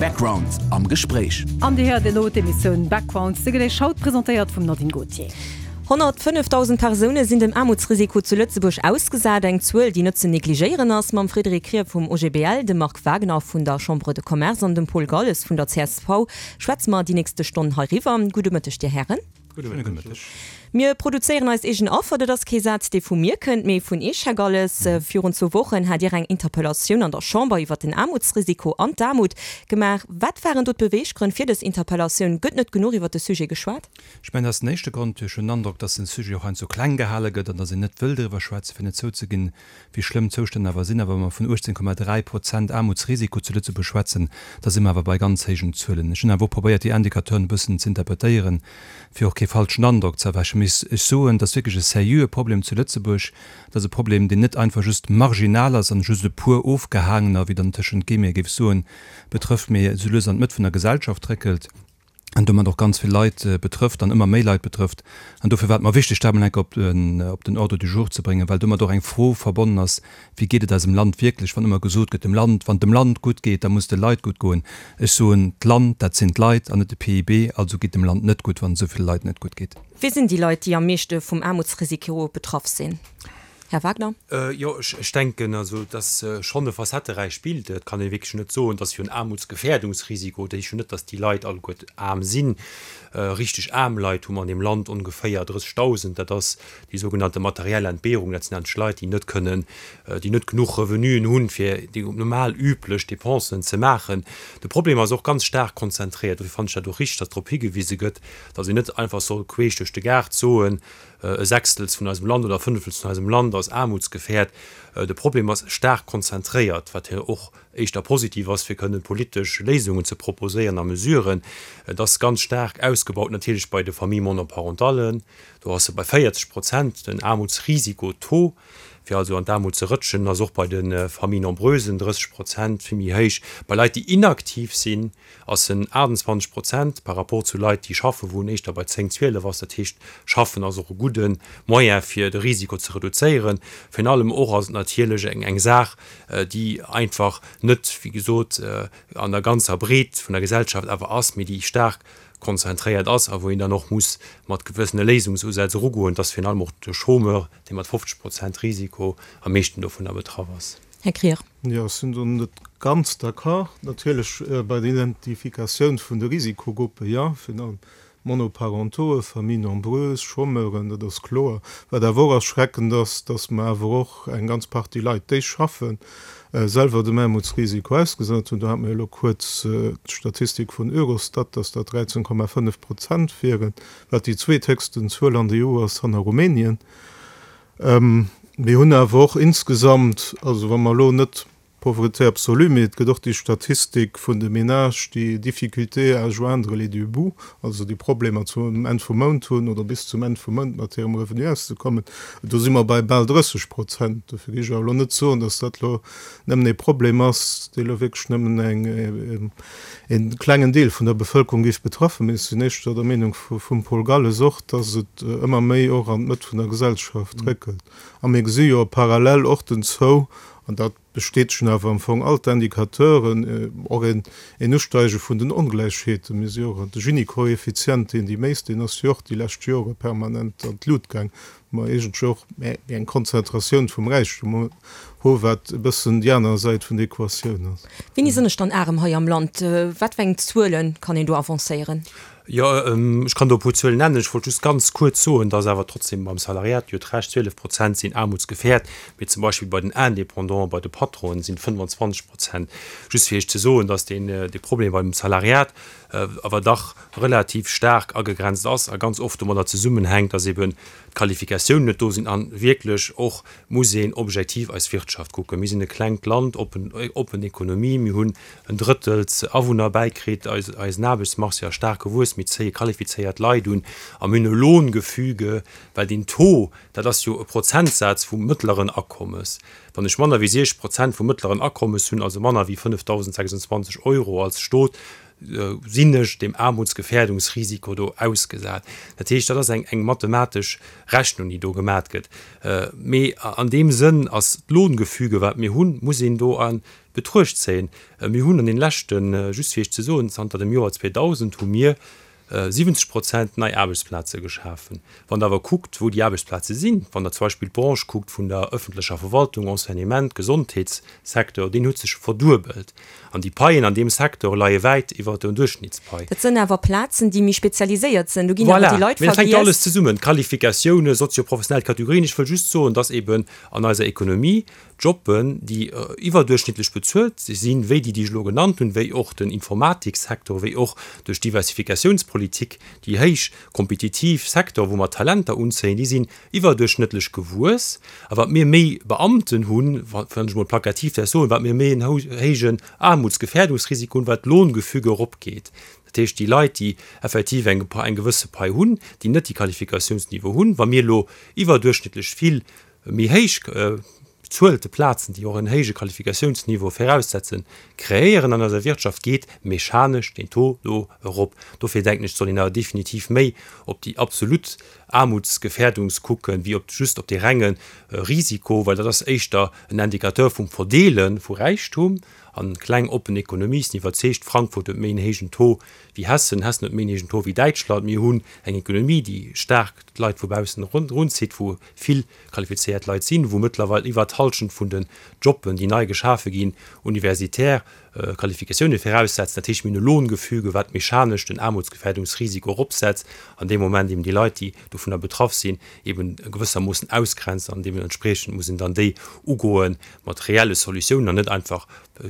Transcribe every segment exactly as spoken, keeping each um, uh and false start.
Background am Gespréich. An Dir héiert elo d'Emissioun Background, se gëtt Iech haut presentéiert vum Nadine Gautier. Honnertfënnefdausend Persoune sinn dem Aarmutsrisiko zu Lëtzebuerg ausgesat, eng Zuel, déi net ze negligéieren ass. Mam Frédéric Krier vum O G B L, dem Marc Wagner vun der Chambre de Commerce an dem Paul Galles vun der C S V schwätze mer déi nächste Stonn heiriwwer. Gudde Mëtteg, Dir Hären. Gudde Mëtteg. Mir produzéieren eis eegen Affer, dat ass kee Saz, dee vu mir kënnt, mee vun Iech, Här Galles. Virun zwou Wochen hat Dir eng Interpellatioun an der Chamber iwwer den Aarmutsrisiko an d'Aarmut gemaach. Wat waren do d'Beweeggrënn fir dës Interpellatioun? Gëtt net genuch iwwer de Sujet geschwat? Ech mengen, dat ass den éischte Grond. Ech hunn den Androck, dass den Sujet och heiansdo kleng gehale gëtt an dass een net wëll driwwer schwätzen, fir net zouzeginn, wéi schlëmm d'Zoustänn awer sinn. Awer wa mer vun uechtzéng Komma dräi Prozent Aarmutsrisiko zu Lëtzebuerg schwätzen, da si mer awer bei ganz héijen Zuelen. Ech hunn awer och probéiert, déi Indicateuren e bëssen ze interpretéieren, fir och kee falschen Androck ze erwächen. Mee ech soen, dat ass wierklech e seriöe Problem zu Lëtzebuerg. Dat ass e Problem, deen net einfach just marginal ass an just e puer Ofgehaangener, wéi dann tëschent Guillemete géif soen, betrëfft, mee esou lues an d'Mëtt vun der Gesellschaft réckelt an domat och ganz vill Leit betrëfft an ëmmer méi Leit betrëfft. An dofir war et mer wichteg, dat emol eng Kéier op den, op den Ordre du jour ze bréngen, well domat och eng Fro verbonnen ass, Wéi geet et eisem Land wierklech? Wann ëmmer gesot gëtt, dem Land, wann dem Land gutt geet, da muss de Leit gutt goen. Ech soen, d'Land, dat sinn d'Leit an net de P I B, also geet dem Land net gutt, wann et esou ville Leit net gutt geet. Wie sinn déi Leit, déi am meeschte vum Aarmutsrisiko betraff sinn? Här Wagner? Jo, ech denken, also et ass schonn e facetteräicht Bild. Et kann ee wierklech net soen, dass jo en Aarmutsgefährdungsrisiko, dat heescht jo net, dass déi Leit alleguert aarm sinn. Richteg aarm Leit hu mer an deem Land ongeféier drëssegdausend. Dat ass déi sougenannte materiell Entbehrung. Dat sinn eigentlech Leit, déi net kënnen, déi net genuch Revenuen hunn, fir déi normal üblech Dépensen ze maachen. De Problem ass och ganz staark konzentréiert. Dofir fannen ech dat och richteg, dass drop higewise gëtt, dass een net einfach soll queesch duerch de Gaart soen, e Sechstels vun eisem Land oder e Fënnefels vun eisem Land ass aarmutsgefährt. De Problem ass staark konzentréiert, wat jo och éischter positiv ass, fir kënnen politesch Léisungen ze proposéieren a Mesuren. Et ass ganz staark ausgebaut natierlech bei de Familles monoparentales, do ass e bei véierzeg Prozent den Aarmutsrisiko-Taux, fir also an d'Aarmut ze rëtschen, ass och bei de Familles nombreuses drësseg Prozent, vill méi héich. Bei Leit, déi inaktiv sinn, ass en aachtundzwanzeg Prozent par rapport zu Leit, déi schaffen, wou en éischter bei zéng, zwielef ass. Dat heescht, schaffen ass och e gudde Moyen, fir de Risiko ze reduzéieren. Virun allem och ass et natierlech eng eng Saach, déi einfach net, wéi gesot, an der ganzer Breet vun der Gesellschaft awer ass, mee déi staark konzentréiert ass a wou een dann och muss mat gewëssene Léisungsusätz erugoen. Et ass virun allem och de Chômeur, dee mat fofzeg Prozent Risiko am meeschten dovunner betraff ass. Här Krier. Jo, ech sinn do net ganz d'accord. Natierlech bei der Identifikatioun vun de Risikogruppen, jo, virun allem Monoparentauxen, Familles nombreuses, Chômeuren, dat ass kloer. Wat awer och erschreckend ass, dass mer awer och eng ganz Partie Leit, déi schaffen, selwer dem Aarmutsrisiko ausgesat hunn. Do hate mer jo elo kuerz d'Statistik vun Eurostat, dass dat dräizéng Komma fënnef Prozent wieren, wat déi zweethéchsten Zuel an der E U ass hanner Rumänien. Mir hunn awer och insgesamt, also wa mer elo net Pauvreté absolue, mee et gëtt och déi Statistik vun de Ménages, déi Difficultés à joindre les deux bouts, also déi Problemer zum Enn vum Mount hunn oder bis zum Enn vum Mount mat hirem Revenu auszekommen, do si mer bei bal drësseg Prozent. Dofir géif ech awer elo net soen, datt dat elo nëmmen ee Problem ass, dee elo wierklech nëmmen eng, een klengen Deel vun der Bevëlkerung géif betraffen. Mee ech sinn éischter der Meenung vum Paul Galles och, datt et ëmmer méi och an d'Mëtt vun der Gesellschaft réckelt. A mir gesi jo parallel och den Taux, an dat bestätegen awer am Fong all d'Indicateuren, och een een Usteige vun den Ongläichheeten. Mir si jo och de Gini-Koeffizient, deen déi méisst, deen ass jo och déi lescht Jore permanent an d'Lut gaang, wou mer iergendwéi och méi eng Konzentratioun vum Räichtum hu wat e bëssen déi aner Säit vun der Equatioun ass. Wéini sinn ech dann arem hei am Land? Wat fir eng Zuele kann een do avancéieren? Jo, ech kann do e puer Zuelen nennen. Ech wollt just ganz kuerz soen, dass awer trotzdem beim Salariat, Dir hutt Recht, zwielef Prozent sinn aarmutsgefährt, mee zum Beispill bei den Indépendanten, bei de Patronen sinn et fënnwanzwanzeg Prozent. Just fir Iech ze soen, dass deen, dee Problem beim Salariat awer dach relativ staark agegrenzt ass a ganz oft domadder zesummenhänkt, dass eben d'Qualifikatiounen net do sinn a wierklech och muss een objektiv eis Wirtschaft kucken. Mir sinn e klengt Land, oppen, oppen Ekonomie, mir hunn en Drëttels Awunner bäikritt, eis, eisen Aarbechtsmarché ass staark gewuess, mir zéie qualifizéiert Leit un a mir hunn e Lohngefüge, well deen Taux, dat ass jo e Prozentsaz vum mëttleren Akommes. Wann ech manner wéi siechzeg Prozent vum mëttleren Akommes hunn, also manner wéi fënnefdausendsechsundzwanzeg Euro als Stot, sinn ech dem Aarmutsgefährdungsrisiko do ausgesat. Dat heescht, dat ass eng, eng mathematesch Rechnung, déi do gemat gëtt. Mee an deem Sënn ass d'Lohngefüge, wat mir hunn, muss een do a Betruecht zéien. Mir hunn an den leschten, just fir Iech ze soen, zanter dem Joer zweedausend hu mir siwwenzeg Prozent nei Aarbechtsplaze geschafen. Wann Der awer kuckt, wou déi Aarbechtsplaze sinn, wann Der zum Beispill d'Branche kuckt vun der öffentlecher Verwaltung, Enseignement, Gesondheetssecteur, deen huet sech verduebelt. An déi Paien an deem Secteur leie wäit iwwert der Duerchschnittspai. Dat sënn awer Plazen, déi méi spezialiséiert sënn. Do ginn awer Voilà, déi Leit mee dat hänkt jo vergiess. alles zesummen, Qualifikatiounen, sozioprofessionell Kategorien. Ech wëll just soen, dass eben an eiser Ekonomie Jobben, déi iwwerduerchschnittlech bezuelt sinn, wéi déi, déi ech elo genannt hunn, wéi och den Informatikssektor, wéi och duerch d'Diversifikatiounspolitik déi héich kompetitiv Secteur, wou mer Talenter unzéien, déi sinn iwwerduerchschnëttlech gewuess. A wat mir méi Beamten hunn, wann ech emol plakativ däerf soen, wat mir méi en héijen Aarmutsgefährdungsrisiko hunn, wat d'Lohngefüge eropgeet. Dat heescht, déi Leit, déi effektiv eng gewësse Pai hunn, déi net déi Qualifikatiounsniveau hunn, wa mir elo iwwerduerchschnittlech vill méi héich bezuelte Plazen, déi och en héije Qualifikatiounsniveau viraussetzen, kreéieren an eiser Wirtschaft, geet mechanesch deen Taux do erop. Dofir denken ech, soll een awer definitiv méi op déi absolut Aarmutsgefährdungs kucken, wéi op just op dee renge Risiko, well dat ass éischter en Indicateur vum Verdeele vu Räichtum. An kleng oppen Ekonomie sinn iwwerzeegt, Frankfurt huet méi en héijen Taux wéi Hessen, Hessen huet méi en héijen Taux wéi Däitschland. Mir hunn eng Ekonomie, déi staark d'Leit vu baussen erunzitt, wou vill qualifizéiert Leit sinn, wou mëttlerweil iwwert d'Hallschent vun den Jobben, déi nei geschafe ginn, universitär Qualifikatioune viraussetzen. Dat heescht, mir hunn e Lohngefüge, wat mechanesch den Aarmutsgefährdungsrisiko eropsetzt an deem Moment eben déi Leit, déi dovunner betraff sinn, eben gewëssermoossen ausgrenzt an deementspriechend muss een dann déi ugoe mat reelle Solutiounen an net einfach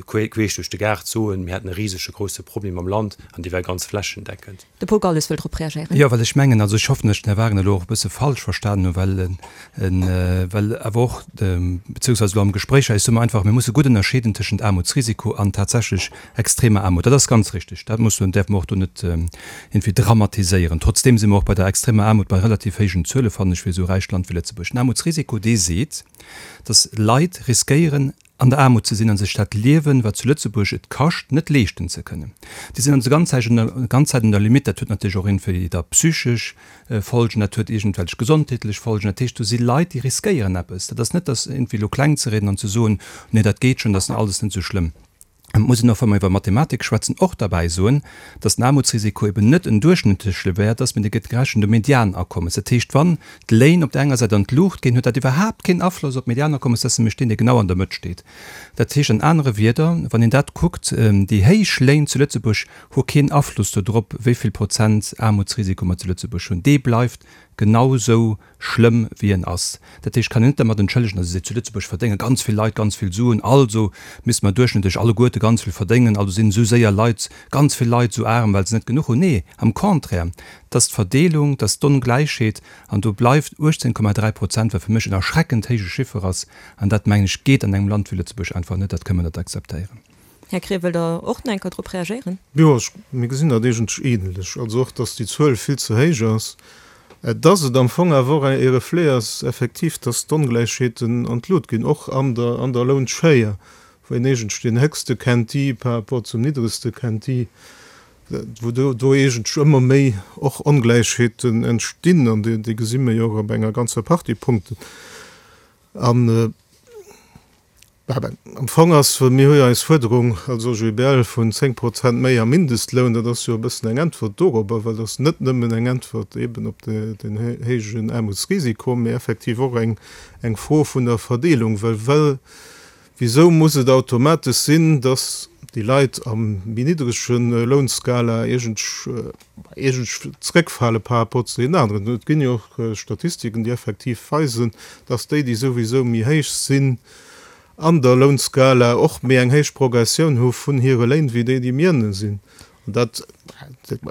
queesch duerch de Gaart soen, mir hätten e risege grousse Problem am Land an dee wär ganz flächendeckend. De Paul Galles wëll drop reagéieren. Jo, well ech mengen, also ech hoffen, datt ech den Här Wagner elo och e bësse falsch verstanen hunn, well en, well awer och, beziehungsweise elo am Gespréich hei, ech soe mer einfach, mir musse gutt ënnerscheeden tëschent Aarmutsrisiko an tatsächlech extremer Aarmut. Dat ass ganz richtig, dat muss, däerfe mer och do net iergendwéi dramatiséieren. Trotzdeem si mer och bei der extremer Aarmut bei relativ héijen Zuele, fannen ech, fir esou e räicht Land wéi Lëtzebuerg. Den Aarmutsrisiko, dee seet, datt Leit riskéieren, an der Aarmut ze sinn a sech dat Liewen, wat zu Lëtzebuerg et kascht, net leeschten ze kënnen. Déi sinn also ganz Zäit ganz Zäit un der Limite. Dat huet natierlech och iergendwéi da psychesch Folgen, dat huet iergendwelch gesondheetlech Folgen. Dat heescht, do si Leit, déi riskéieren eppes. Dat ass net, dass iergendwéi elo kleng ze rieden an ze soen, Nee, dat geet schonn, dat ass alles net esou schlëmm. Et muss een och, wa mer iwwer Mathematik schwätzen, och derbäi soen, dass den Aarmutsrisiko eben net en duerchschnëttleche Wäert ass, mee dee gëtt gerechent um Medianakommes. Dat heescht, wann d'Léin op där enger Säit an d'Luucht ginn, huet dat iwwerhaapt keen Afloss op d'Medianakommes, dat ass nämlech deen, dee genau an der Mëtt steet. Dat heescht an anere Wierder, wann een dat kuckt, déi héich Léin zu Lëtzebuerg hu keen Afloss dodrop, wéi vill Prozent Aarmutsrisiko mer zu Lëtzebuerg hunn. Dee bleift genau esou schlëmm wéi en ass. Dat heescht, kann een net dermat entschëllegen, datt ee seet, zu Lëtzebuerg verdénge ganz vill Leit ganz vill Suen, also misste mer duerchschnëttlech alleguerte ganz vill verdéngen, also sinn esou séier Leit, ganz vill Leit esou aarm, well se net genuch hunn. Nee, am Contraire, et ass d'Verdeelung, et ass d'Ongläichheet an do bleift uechtzéng Komma dräi Prozent, wat fir mech en erschreckend héije Chiffer ass an dat, mengen ech, geet an engem Land wéi Lëtzebuerg einfach net, dat kënne mer net akzeptéieren. Här Krier, wëllt Der och nach eng Kéier drop reagéieren? Jo, ech, mir gesinn dat eigentlech ähnlech. Also och, dass déi Zuel vill ze héich ass, dass et am Fong awer och e Reflet ass effektiv, dass d'Ongläichheeten an d'Lut ginn, och an der, an der Lounschéier, wou een eigentlech deen héchste Quintil par rapport zum niddregste Quintil, wou do, do eigentlech ëmmer méi och Ongläichheeten entstinn, an déi, déi gesi mir jo och op enger ganzer Partie Punkten. An Am Fong ass, mir hu jo eis Fuerderung als O G B L vun zéng Prozent méi am Mindestloun, dat ass jo e bëssen eng Äntwert dorobber, well dat ass net nëmmen eng Äntwert eeben op den héijen Aarmutsrisiko, mee effektiv och eng Fro vun der Verdeelung. Well well wisou muss et automatesch sinn, dass déi Leit am méi niddrege Lounskala iergendlech zréckfale par rapport zu deenen aneren? Et ginn jo och Statistiken, déi effektiv weisen, dass déi, déi souwisou méi héich sinn an der Lounskala, och méi eng héich Progressioun hu vun hire Léin wéi déi, déi méi ënne sinn. An dat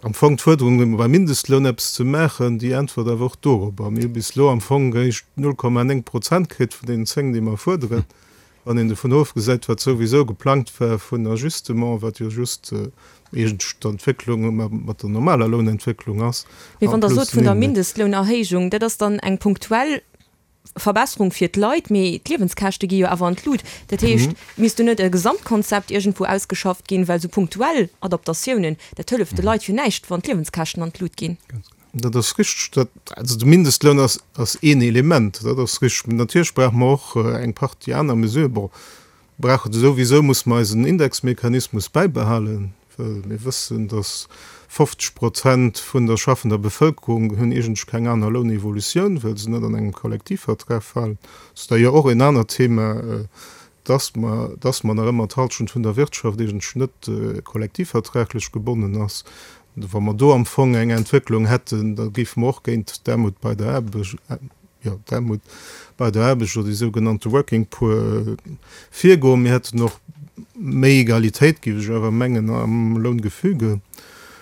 am Fong d'Fuerderung, beim Mindestloun eppes ze maachen, déi äntwert awer och dorobber. Mir hu bis elo am Fong eréischt null Komma néng Prozent kritt vun deenen zéng, déi mer fuerderen, wann een dovun ofgesäit, wat souwisou geplangt war vun Ajustement, wat jo just iergendwéi d'Entwécklung mat der normaler Lounentwécklung ass. Mee wann Der sot vun der Mindestlounerhéijung, dat ass dann eng punktuell Verbesserung fir d'Leit, mee d'Liewenskäschte gi jo awer an d'Lut. Dat heescht, misst do net e Gesamtkonzept iergendwou ausgeschafft ginn, well esou punktuell Adaptatiounen, dat hëlleft de Leit jo näischt, wann d'Liewenskäschten an d'Lut ginn. Dat ass richteg. Dat, also de Mindestloun ass, ass een Element, dat ass richteg. Mee natierlech brauche mer och eng Partie aner Mesuren. Bon, Brauche souwisou muss mer eisen Indexmechanismus bäibehalen, well mir wëssen, dass fofzeg Prozent vun der schaffender Bevëlkerung hunn iergendwéi keng aner Lounevolutioun, well se net an engem Kollektivvertrag falen. Dat ass da jo och en anert Thema, dass mer, dass mer nach ëmmer d'Halschent vun der Wirtschaft iergendwéi net kollektivvertraglech gebonnen ass. Wa mer do am Fong eng Entwécklung hätten, da géife mer och géint d'Aarmut bei der Aarbecht, jo, d'Aarmut bei der Aarbecht oder déi sougenannte Working Poor virgoen. Mir hätten och méi Egalitéit, géif ech awer mengen, am Loungefüge.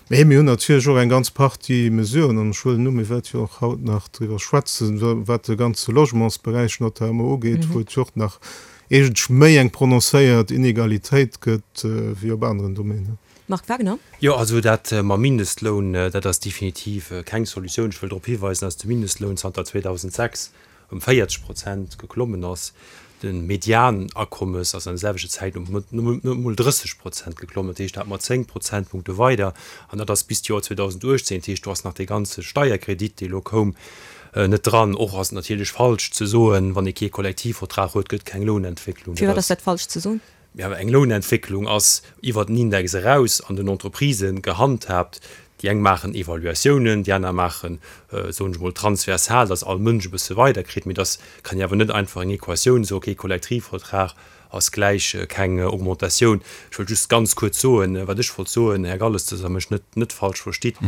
Mee mir hunn natierlech och eng ganz Partie Mesuren, an ech huelen u, mir wäerte jo och haut nach driwwer schwätzen, wat de ganze Logementsberäich notamment ugeet, wou et jo och nach iergendwéi méi eng prononcéiert Inegalitéit gëtt wéi op aneren Domänen. Marc Wagner. Jo, also dat mam Mindestloun, dat ass definitiv keng Solutioun. Ech wëll drop hiweisen, dass de Mindestloun zanter zweedausendsechs ëm véierzeg Prozent geklommen ass. De Medianakommes ass an der selwechter Zäit ëm net emol drësseg Prozent geklommen. Dat heescht, dat mat zéng Prozentpunkte weider. An dat ass bis d'Joer zweedausenduechtzéng. Dat heescht, do ass nach dee ganze Steierkredit, dee elo koum, net dran. Och ass et natierlech falsch ze soen, wann ee kee Kollektivvertrag huet, gëtt keng Lounentwécklung. Firwat ass dat falsch ze soen? Jo, eng Lounentwécklung ass iwwert den Index eraus an den Entreprisë gehandhaabt. Déi eng maachen Evaluatiounen, déi aner maachen, soen ech emol, transversal, datt all Mënsch e bësse weiderkritt. Mee dass kann een awer net einfach eng Equatioun soen, okay, Kollektivvertrag ass gläich keng Augmentatioun. Ech wëllt just ganz kuerz soen, wat ech wollt soen, Här Galles, datt Der mech net net falsch verstitt,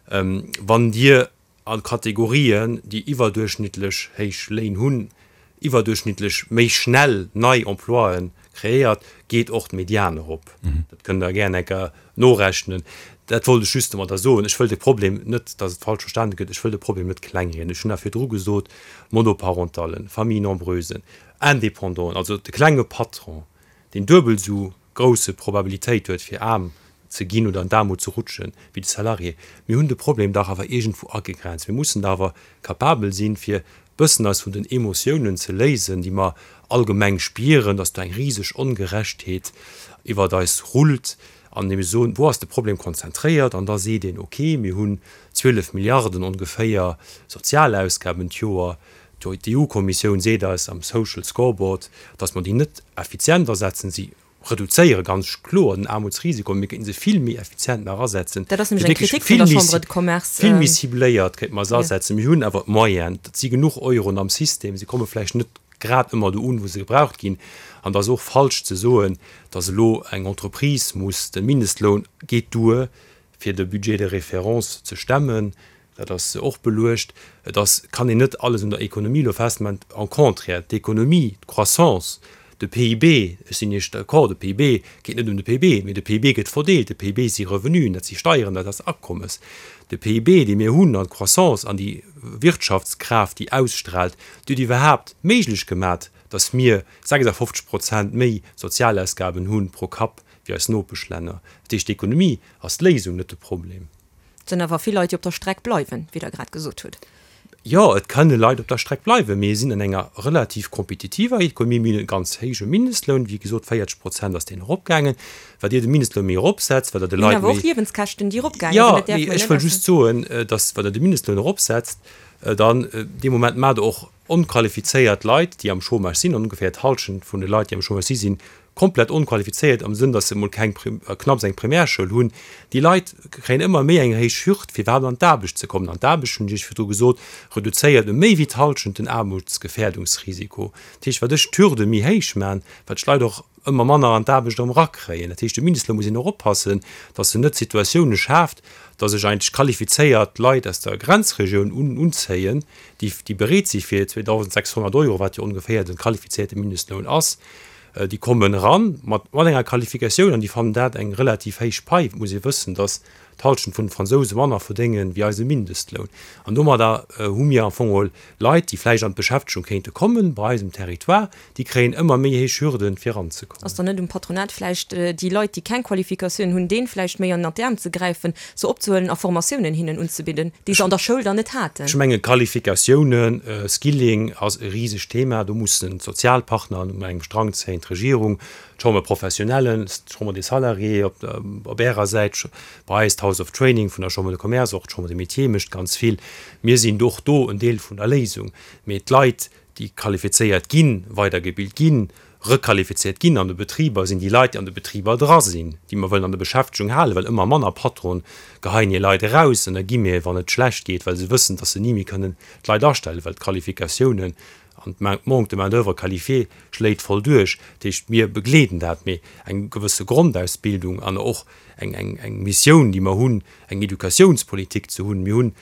Wann Dir a Kategorien, déi iwwerduerchschnittlech héich Léin hunn, iwwerduerchschnittlech méi schnell nei Emploien kreéiert, geet och d'Median erop. Dat kënnt Der gär eng Kéier norechnen. Dat wollt ech just domadder soen. Ech wëll de Problem net, datt et falsch verstane gëtt, ech wëll de Problem net klengrieden. Ech hunn nach virdru gesot, Monoparentallen, Familles nombreuses, Indépendanten, also de klenge Patron, deen duebel esou grousse Probabilitéit huet, fir aarm ze ginn oder an d'Aarmut ze rutschen, wéi de Salarié. Mir hunn de Problem dach awer iergendwou agegrenzt. Mir mussen dach awer capabel sinn, fir bëssen eis vun den Emotiounen ze léisen, déi mer allgemeng spieren, dass do eng riseg Ongerechtheet iwwert eis rullt, an deem mir soen, wou ass de Problem konzentréiert? An da seet een, okay, mir hunn zwielef Milliarden ongeféier Sozialausgaben d'Joer. D'EU-Kommissioun seet eis am Social Scoreboard, dass mer déi net effizient asetzen. Si reduzéiere ganz kloer den Aarmutsrisiko, mir kéinten se vill méi effizient nach asetzen, Dat ass nämlech eng Kritik vun der Chambre de Commerce. Vill méi cibléiert kéinte mer se asetzen. Mir hunn awer d'Moyenen, et si genuch Euroen am System, se komme vläicht net grad ëmmer do un, wou se gebraucht ginn. An et ass och falsch ze soen, datt elo eng Entreprise muss, de Mindestloun geet duer, fir de Budget de référence ze stemmen. Dat ass och beluecht. Et ass, kann een net alles un der Ekonomie elo festmachen. Au contraire, d'Ekonomie, d'Croissance, de P I B, ech sinn Iech d'accord, de P I B geet net ëm de P I B, mee de P I B gëtt verdeelt. De P I B si Revenuen, dat si Steieren, dat ass Akommes. De P I B, dee mir hunn, an d'Croissance an déi Wirtschaftskraaft, déi ausstrahlt, déi huet iwwerhaapt méiglech gemat, datt mir sechsafofzeg Prozent méi Sozialausgaben hu pro Kapp wéi eis Nopeschlänner. Dat heescht, d'Ekonomie ass d'Léisung, net de Problem. Et sinn awer vill Leit, déi op der Streck bleiwen, wéi Der grad gesot hutt. Jo, et kënne Leit op der Streck bleiwen. Mir sinn an enger relativ kompetitiver Ekonomie. Mir hunn e ganz héije Mindestloun, wéi gesot, véierzeg Prozent ass deen eropgaangen. Wat Dir de Mindestloun méi eropsetzt, wat Der de Mir hunn Leit awer och méi. Liewenskäschten, déi eropgaange Jo, sinn. Dat däerf mee mer ech net wëll just soen, datt, wann Der de Mindestloun eropsetzt, dann dee Moment maacht Der och onqualifizéiert Leit, déi am Chômage sinn, an ongeféier d'Hallschent vun de Leit, déi am Chômage si sinn komplett onqualifizéiert am Sënn, datt se emol keng, knapps eng Primärschoul hunn. Déi Leit kréien ëmmer méi eng héich Hürd, fir iwwerhaapt an d'Aarbecht ze kommen. An d'Aarbecht, hunn ech Iech virdru gesot, reduzéiert ëm méi wéi d'Hallschent den Aarmutsgefährdungsrisiko. Dat heescht, wat ech d'Hürde méi héich man, wat ech d'Leit och ëmmer manner an d'Aarbecht erëm erakréien. Dat heescht, de Mindestloun muss een och oppassen, datt en net Situatioune schaaft, datt ech eigentlech qualifizéiert Leit aus der Grenzregioun unzéien, déi déi bereet si fir zweedausendsechshonnert Euro, wat jo ongeféier de qualifizéierte Mindestloun ass, déi kommen eran mat mat enger Qualifikatioun an déi fannen dat eng relativ héich Pai. Et muss ee wëssen, datt d'Halschent vun de Fransouse manner verdénge wéi eise Mindestloun. An domadder hu mir am Fong geholl Leit, déi vläicht an d'Beschäftegung kéinte kommen bei eisem Territoire, déi kréien ëmmer méi héich Hürden, fir eranzekommen. Ass dann net um Patronat vläicht, déi Leit, déi keng Qualifikatioun hunn, deenen vläicht méi ënnert d'Äerm ze gräifen, se opzehuelen a Formatiounen hinnen unzebidden, déi se an der Schoul dann net haten? Ech mengen, Qualifikatiounen, Skilling ass e risegt Thema. Do mussen d'Sozialpartner un engem Strang zéien, d'Regierung, d'Chambre professionnelle, d'Chambre des Salariés op op Ärer Säit, bei eis d'House of Training vun der Chambre de Commerce, och d'Chambre des Métiers mécht ganz vill. Mir sinn och do en Deel vun der Léisung. Mee d'Leit, déi qualifizéiert ginn, weidergebilt ginn, requalifizéiert ginn an de Betriber, sinn déi Leit, déi an de Betriber dra sinn, déi mer wëllen an der Beschäftegung halen, well ëmmer manner Patronen geheien hir Leit eraus, ënner Guillemets, wann et schlecht geet, well se wëssen, dass se ni méi kënnen d'Leit astellen, well d'Qualifikatiounen an de Manque de main-d'oeuvre qualifiée schléit voll duerch. Dat heescht, mir begleeden dat, mee eng gewësse Grondausbildung an och eng, eng, eng Missioun, déi mer hunn, eng Educatiounspolitik ze hunn. Mir hunn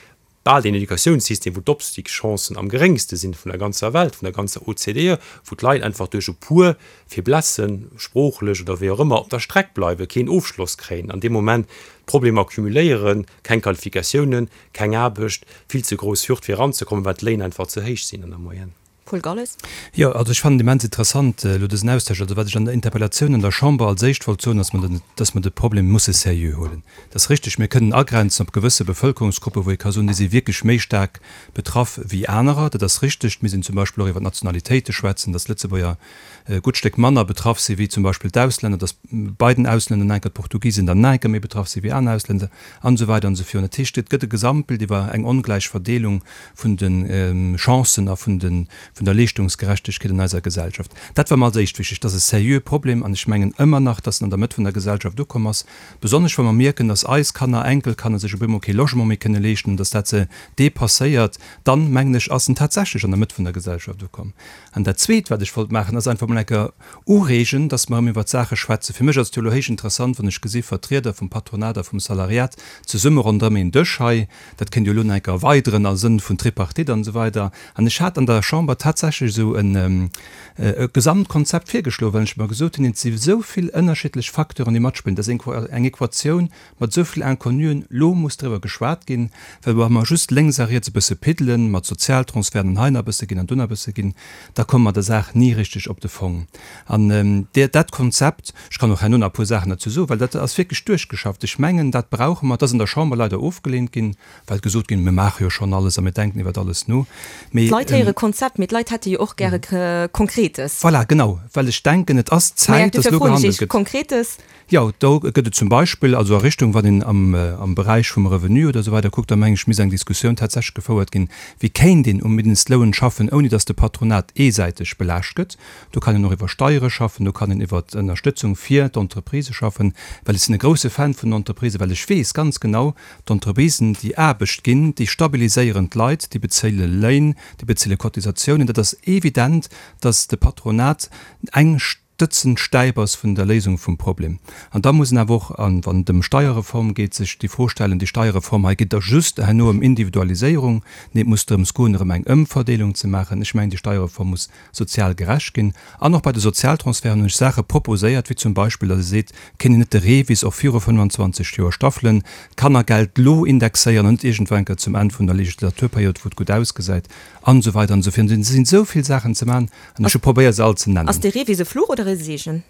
bal deen Educatiounssystem, wou d'Opstigschancen am geréngste sinn vun der ganzer Welt, vun der ganzer O C D E, wou d'Leit einfach duerch e puer Faiblesse, sproochlech oder wéi och ëmmer, op der Streck bleiwen, keen Ofschloss kréien, an deem Moment d'Problemer cumuléieren, keng Qualifikatiounen, keng Aarbecht, vill ze grouss Hürd fir eranzekommen, well d'Léin einfach ze héich sinn an der Moyenne. Paul Galles. Jo, also ech fannen et immens interessant elo dësen Austausch. Also wat ech an der Interpellatioun an der Chamber als éischt wollt soen, ass, dass mer de Problem musse seriö huelen. Dat ass richteg, mir kënnen agrenzen op gewësse Bevëlkerungsgruppen, wou ee ka soen, déi si wierklech méi staark betraff wéi anerer. Dat ass richteg. Mir sinn zum Beispill och iwwer d'Nationalitéite schwätzen, dass Lëtzebuerger e gutt Stéck manner betraff si wéi zum Beispill d'Auslänner, dass bei den Auslänner nach enker d'Portugisen dann nach enker méi betraff si wéi aner Auslänner an esou weider an esou virun. Dat heescht, et gëtt e Gesamtbild iwwer eng ongläich Verdeelung vun de Chancen a vun de vun der Leeschtungsgerechtegkeet an eiser Gesellschaft. Dat war mer als éischt wichteg. Dat ass e seriöe Problem an ech mengen ëmmer nach, dass en an der Mëtt vun der Gesellschaft ukomm ass, besonnesch wa mer mierken, dass eis Kanner, Enkelkanner sech op eemol kee Logement méi kënne leeschten, dass dat se depasséiert, dann, mengen ech, ass en tatsächlech an der Mëtt vun der Gesellschaft ukomm. An dat Zweet, wat ech wollt maachen, ass einfach mol eng Kéier ureegen, dass mer erëm iwwert d'Saache schwätzen. Fir mech ass et jo elo héich interessant, wann ech gesi Vertrieder vum Patronat a vum Salariat zesumme ronderëm een Dësch hei, dat kéint jo elo nach eng Kéier erweideren a Sënn vun Tripartite an esou weider. An ech hat an der Chamber tatsächlech esou en e Gesamtkonzept virgeschloen, well ech mer gesot hunn, et si esou vill ënnerschiddlech Facteuren, déi matspillen, dat ass eng Equatioun mat esou vill Inconnuen, elo muss driwwer geschwat ginn, well wa mer just lénks a riets e bësse piddelen, mat Sozialtransferten an hei nach e bësse ginn an do nach e bësse ginn, da komme mer der Saach ni richteg op de Fong. An dat Konzept, ech kann och herno nach e puer Saachen derzou soen, well dat ass wierklech duerchgeschafft, ech mengen, dat brauche mer, dat ass an der Chamber leider ofgelehnt ginn, well gesot ginn, mir maache jo schonn alles a mir denken iwwert alles no. Mee d'Leit héiere Konzept, mee d'Leit hätte jo och gäre Konkretes. Voilà, genau, well ech denken, et ass Zäit, dass elo gehandelt gëtt. Konkretes? Jo, do gëtt et zum Beispill, also a Richtung, wann een am, am Beräich vum Revenu oder esou weider kuckt, da mengen ech, misst eng Diskussioun tatsächlech gefouert ginn, wéi kéint een um Mindestloun schaffen, ouni dass de Patronat eesäiteg belaascht gëtt. Do kann een och iwwer Steiere schaffen, do kann een iwwer Ënnerstëtzung fir d'Entreprisë schaffen, well ech sinn e grouse Fan vun den Entreprisen, well ech weess ganz genau, d'Entreprisen, déi Aarbecht ginn, déi stabiliséieren d'Leit, déi bezéile Léin, déi bezéile Cotisatiounen. Dat ass evident, dass de Patronat eng stëtzend Stäip ass vun der Léisung vum Problem. An da muss een awer och, wann et ëm Steierreform geet, sech déi Fro stellen, déi Steierreform hei geet da just herno ëm Individualiséierung? Nee, et muss drëms goen, erëm eng Ëmverdeelung ze maachen. Ech mengen, déi Steierreform muss sozial gerecht ginn. An och bei de Sozialtransferten hunn ech Saache proposéiert, wéi zum Beispill, datt ee seet, kéint een net de REVIS och viru fënnfanzwanzeg Joer staffelen, d'Kannergeld elo indexéieren an net iergendwann eng Kéier zum Enn vun der Legislaturperiod, wou et gutt ausgesäit, an esou weider an esou virun. Et sinn esou vill Saachen ze maachen an ech hu probéiert, se all ze nennen. Ass de REVIS e Fluch oder e Seegen?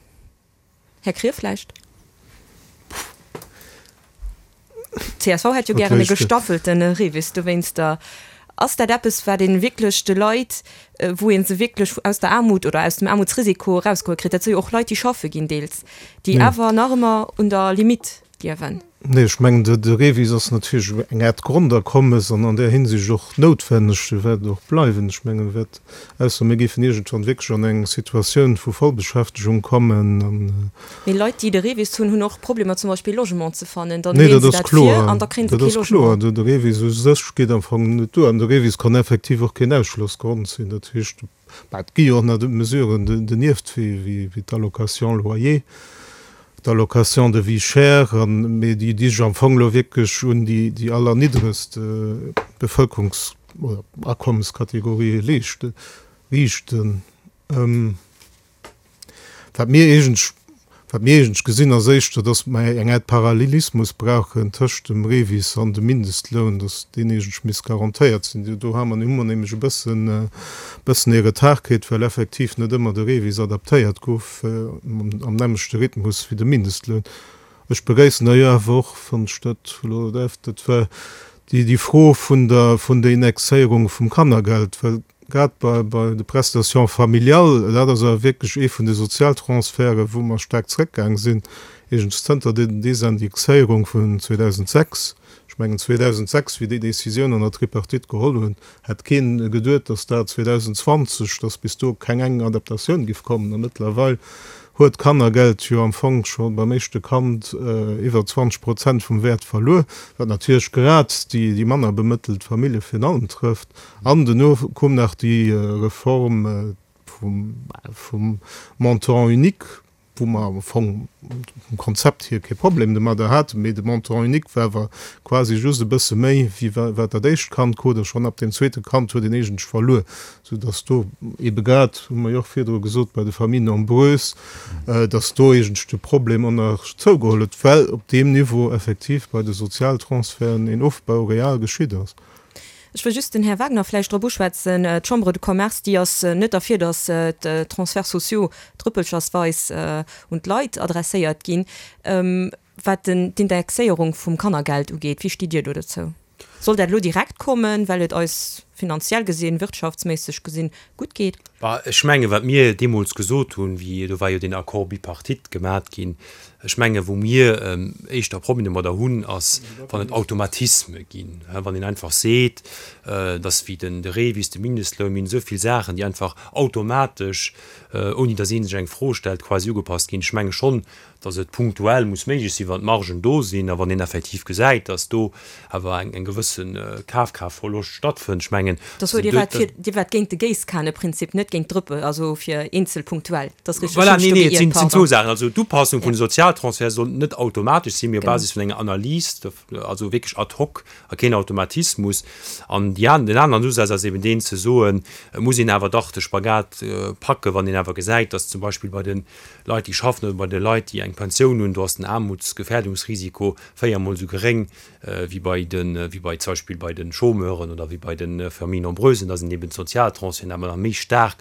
Här Krier vläicht? D'C S V hätt jo gären e gestaffelte REVIS dowéinster. Ass dat eppes, wat ee wierklech de Leit, wou ee se wierklech aus der Aarmut oder aus dem Aarmutsrisiko erausgeholl kritt? Dat si jo och Leit, déi schaffe ginn deels, déi awer nach ëmmer un der Limitt liewen. Nee, ech mengen, de REVIS ass natierlech eng Aart Grondakommes an an där Hinsicht och noutwenneg. E wäert och bleiwen. Ech mengen, e wäert, ausser mir géifen iergendwann wierklech an eng Situatioun vu Vollbeschäftegung kommen an. Mee Leit, déi de REVIS hunn, hunn och Problemer zum Beispill Logement ze fannen. Dann Nee, leeën dat se ass dat vir kloer. an da kréie se Dat kee ass kloer. Logement. De REVIS u sech geet am Fong net duer. An de REVIS kann effektiv och keen Ausschlossgrond sinn. Dat heescht, bah, et gi jo och nach Mesuren donieft, wéi d'Allocation loyer, d'Allocation de vie chère, mee déi déi sech am Fong elo wierklech un déi déi allerniddregst Bevëlkerungs oder Akommeskategorië leeschten, riichten. Wat mir eegentlech, wat mir eegentlech gesinn, ass éischter, datt mer eng Aart Parallelismus brauchen tëscht dem REVIS an dem Mindestloun, datt deen eegentlech misst garantéiert sinn. Do hu mer hu mer nämlech e bëssen e bëssen ee Retard kritt, well effektiv net ëmmer de REVIS adaptéiert gouf am nämmlechte Rhythmus wéi de Mindestloun. Ech begréissen d'ailleurs awer och, wann ech dat elo däerf, dat war déi déi Fro vun der vun der Indexéierung vum Kannergeld, well grad bei bei de Prestations familiales, dat ass awer wierklech ee vun de Sozialtransferten, wou mer staark zrëckgaang sinn, eegentlech zënter der Desindexéierung vun zweedausendsechs. Ech Ech mengen zweedausendsechs, wéi déi Décisioun an der Tripartite geholl hunn, hätt keen geduet, datt dat zweedausendzwanzeg, datt bis do keng eng Adaptatioun giff kommen. A mëttlerweil huet d'Kannergeld jo am Fong scho beim éischte Kand iwwer zwanzeg Prozent vum Wäert verluer, wat natierlech grad déi déi manner bemëttelt Famillje virun allem trëfft. An duerno koum nach déi Reform vum vum Montant unique, wou mer am Fong vum Konzept hier kee Problem domadder haten, mee de Montant unique war awer quasi just e bësse méi wéi wat dat éischt Kand krut, a schonn ab dem zweete Kand huet een eigentlech verluer, soudass do eebe grad, hu mer jo och virdru gesot, bei de Familles nombreuses, dass do eigentlech de Problem och nach zougeholl huet, well op deem Niveau effektiv bei de Sozialtransferten een Ofbau real geschitt ass. Ech wëll just den Här Wagner vläicht drop uschwätzen. D'Chambre de Commerce, déi ass net derfir, datt d'Transferts sociaux drëppelchersweis un d'Leit adresséiert ginn. Wat d'Indexéierung vum Kannergeld ugeet, wéi stitt Dir do dozou? Soll dat elo direkt kommen, well et eis finanziell gesinn, wirtschaftsméisseg gesinn, gutt geet? Bah, ech mengen, wat mir deemools gesot hunn, wéi, do war jo deen Accord bipartite gemat ginn, ech mengen, wou mir éischter Problemer domadder hunn, ass, wann et Automatisme ginn, wann een einfach seet, et ass wéi den de REVIS, de Mindestloun, mir hunn esou vill Saachen, déi einfach automatesch, ouni datt ee sech eng Fro stellt, quasi ugepasst ginn. Ech menge schonn, datt et punktuell muss méiglech sinn, wann d'Margen do sinn a wann een effektiv gesäit, datt do awer eng gewësse Kafkraaftverloscht stattfënnt. Ech mengen, Dass huet Dir waart fir, Dir waart géint de Géisskaneprinzip, net géint d'Drëppe, also fir eenzel punktuell. Dat ass richteg, Voilà, ech hunn nee, mech do nee, et geiert, sinn pardon. zwou Saachen. Also d'Upassung vun de Sozialtransferte soll net automatesch sinn, mee op Genau. Basis vun enger Analys, also wierklech ad hoc a keen Automatismus. An déi an, den aneren Usaz ass eben deen ze soen, et muss een awer dach de Spagat packen, wann een awer gesäit, datt zum Beispill bei de Leit, déi schaffen, oder bei de Leit, déi eng Pensioun hunn, do ass den Aarmutsgefährdungsrisiko véiermol esou geréng wéi bei de, wéi bei zum Beispill bei de Chômeuren oder wéi bei de Familles nombreuses, dass een eben d'Sozialtransferten awer nach méi staark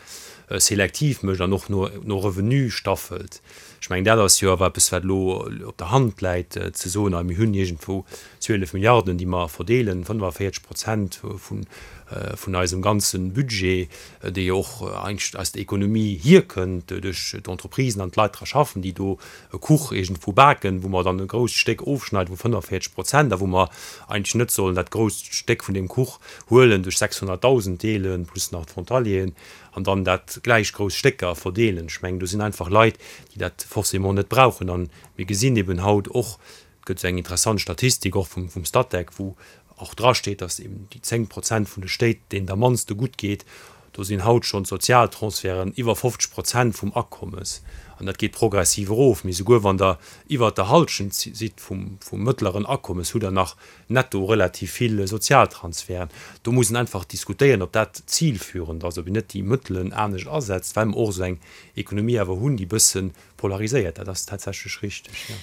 selektiv mécht an och no, no Revenu staffelt. Ech mengen, dat ass jo awer eppes, wat elo op der Hand läit, ze soen, mir hunn iergendwou zwielef Milliarden, déi mer verdeelen, fënnefavierzeg Prozent vun, vun eisem ganze Budget, dee jo och eigentlech aus der Ekonomie hierkënnt, duerch d'Entreprisen an d'Leit dra schaffen, déi do e Kuch iergendwou baken, wou mer dann e grousst Stéck ofschneiden vu fënnefavierzeg Prozent a wou mer eigentlech net sollen dat grousst Stéck vun deem Kuch huelen, duerch sechshonnertdausend deelen, plus nach d'Frontalieren, an dann dat gläich grouss Stécker verdeelen. Ech mengen, do sinn einfach Leit, déi dat forcément net brauchen. A mir gesinn eben haut och, et gëtt esou eng interessant Statistik och vum Statec, wou och drasteet, datt eben déi zéng Prozent vun de Stéit, deenen et am mannste gutt geet, do sinn haut schonn d'Sozialtransferten iwwer fofzeg Prozent vum Akommes. An dat geet progressiv erof. Mee souguer wann Der iwwert der Hallschent sidd vum mëttleren Akommes, hutt Der nach netto relativ vill Sozialtransferten. Do muss een einfach diskutéieren, ob dat zilführend ass, ob een net déi Mëttelen anescht asetzt, well mer och esou eng Ekonomie awer hunn, déi e bësse polariséiert. Dat ass tatsächlech richteg, jo.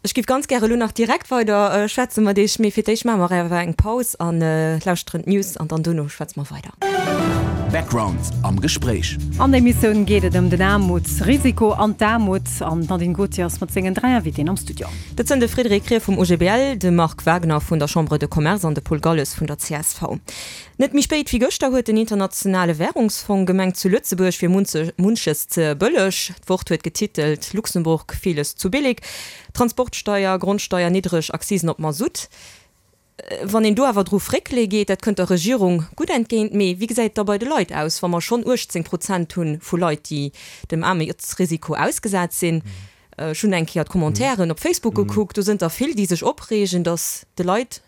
Ech géif ganz gäre elo nach direkt weider schwätze mat Iech, mee fir d'éischt maache mer awer eng Paus a lauschteren d'News an dann dono schwätze mer weider. Background am Gespréich. An der Emissioun geet et ëm den Aarmutsrisiko an d'Aarmut an d'Nadine Gautier ass mat sengen dräi Invitéen am Studio. Dat sënn de Frédéric Krier vum O G B L, de Marc Wagner vun der Chambre de Commerce an de Paul Galles vun der C S V. Net méi spéit wéi gëschter huet den Internationale Währungsfong gemengt, zu Lëtzebuerg wier munches ze bëlleg. D'Wort huet getitelt Luxemburg, vieles zu billig. Transportsteier, Grondsteier, niddreg Akzisen op Masutt. Wann een do awer dru fréckele geet, dat kënnt der Regierung gutt entgéint. Mee wéi gesäit et da bei de Leit aus, wa mer schonn uechtzéng Prozent hu vu Leit, déi dem Aarmutsrisiko ausgesat sinn? Ech hunn eng Kéier d'Commentairen op Facebook gekuckt, do sënn der vill, déi sech opreegen, datt de Leit,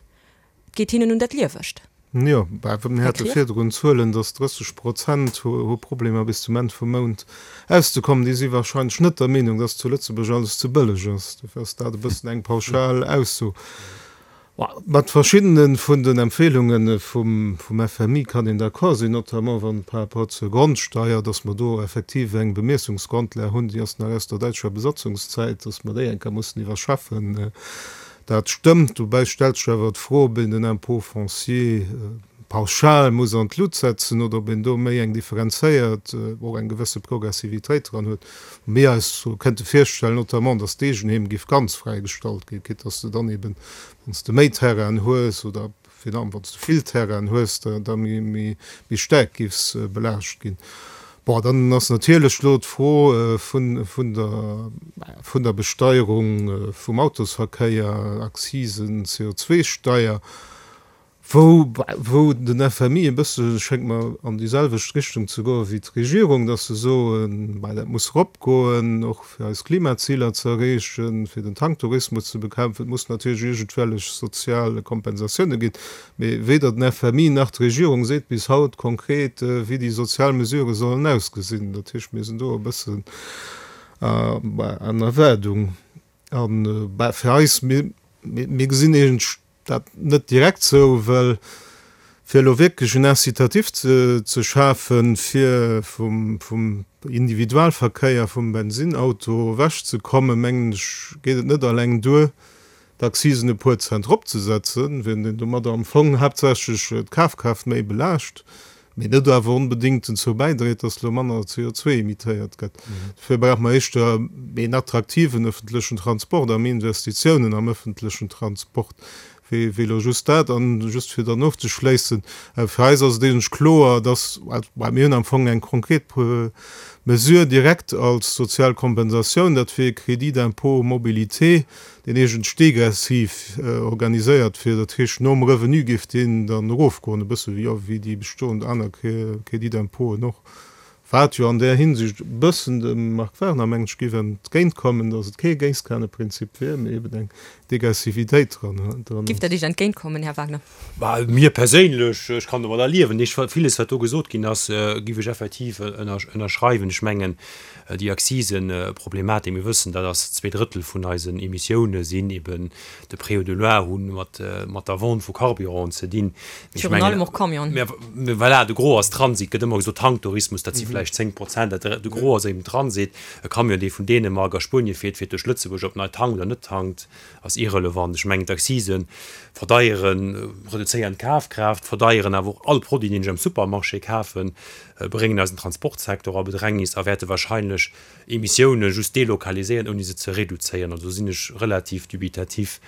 et geet hinnen un dat Liewescht. Jo, bah, mir Här hate Krier? virdrun Zuelen, datt drësseg Prozent hu hu Problemer bis zum Enn vum Mount auszekommen. Déi si wahrscheinlech net der Meenung, datt zu Lëtzebuerg alles ze bëlleg ass. Dofir ass dat e bëssen eng pauschal Ausso. Mat verschiddene vun den Empfehlunge vum vum F M I kann een d'accord sinn, notamment wann par rapport zur Grondsteier, datt mer do effektiv eng Bemiessungsgrondlag hunn, déi ass nach aus der däitscher Besatzungszäit, datt mer déi eng Kéier mussen iwwerschaffen. Dat stëmmt. Dobäi stellt sech awer d'Fro, ob een den Impôt foncier pauschal muss an d'Lut setzen oder ob een do méi eng differenzéiert, och eng gewësse Progressivitéit dran huet. Mir eis kënnte virstellen, notamment, datt d'Eegenheem géif ganz fräigestallt ginn, quitte datt s de dann eben, wann s de méi Terrainen hues oder virun allem wann s de vill Terrainen hues, da méi, méi, méi staark géifs belaascht ginn. Bon, dann ass natierlech elo d'Fro vun, vun der, vun der Besteierung vum Autosverkéier, Akzisen, C O zwei Steier, wou, wou den F M I e bësse, schéngt mer, an déi selwecht Richtung ze goen wéi d'Regierung, dass se soen, bah, dat muss eropgoen, och fir eis Klimaziler ze erreechen, fir den Tanktourismus ze bekämpfen. Et muss natierlech iergendwellech sozial Kompensatioune ginn. Mee weder den F M I nach d'Regierung seet bis haut konkret, wéi déi sozial Mesurë sollen ausgesinn. Dat heescht, mir sinn do e bëssen an Erwaardung. An, bah, fir eis, mir, mir gesinn iergend dat net direkt sou, well fir elo wierklech en Incitatif ze, ze schafen, fir vum, vum Individualverkéier, vum Bensinauto ewechzekommen, mengen ech, geet et net alleng duer, d'Accisen e puer Cent eropzesetzen, wenn een domadder am Fong haaptsächlech d'Kafkraaft méi belaascht, mee net awer onbedéngt dozou bäidréit, dass elo manner C O zwei emittéiert gëtt. Dofir brauche mer éischter een attraktiven öffentlechen Transport a méi Investitiounen am öffentlechen Transport, wéi, wéi elo just dat. An just fir dann ofzeschléissen, äh, fir eis ass et eigentlich kloer, dass, well mir hunn am Fong eng konkret Pro-, Mesure direkt als sozial Kompensatioun, dat wier Crédit d'impôt mobilité, deen eigentlich degressiv, äh, organiséiert wier. Dat heescht, nom Revenu géif deen dann erofgoen, e bësse wéi, wéi déi bestoend aner Cré-, Crédit d'impôten och. Wat jo an där Hinsicht e bëssen dem Marc Wagner, mengen ech, géif entgéintkommen, dass et kee Géisskaneprinzip wier, mee eben eng Degressivitéit dran, dran Géif dat Iech entgéintkommen, Här Wagner? Bah, mir perséinlech, ech kann domadder liewen. Ech, vieles, wat do gesot ginn ass, äh, géif ech effektiv ënner-, ënnerschreiwen. Ech mengen, äh, déi Akzisen-Problematik, mir wëssen, dat ass zwee Drëttel vun eisen Emissioune sinn eben de Pré de Loire hunn mat, äh, mat der Vente vu Carburant ze dinn. Ech Virun mengen, allem och Camion. Mir, mir, voilà, de Gros ass Transit, gëtt ëmmer gesot, Tanktourismus, dat si Mhm. vläicht zéng Prozent, dat de Gros ass eben Transit. E Camion, dee vun Dänemark a Spuenie fiert, fiert duerch Lëtzebuerg, ob nei tankt oder net tankt, ass irrelevant. Ech mengen, d'Accisen verdeieren, reduzéieren d'Kafkraaft, verdeieren awer och all Produit, deen ech am Supermarché kafen, bréngen eisen Transportsektor a Bedrängnis a wäerte wahrscheinlech Emissioune just delokaliséieren, ouni se ze reduzéieren. Also sinn ech relativ dubitativ.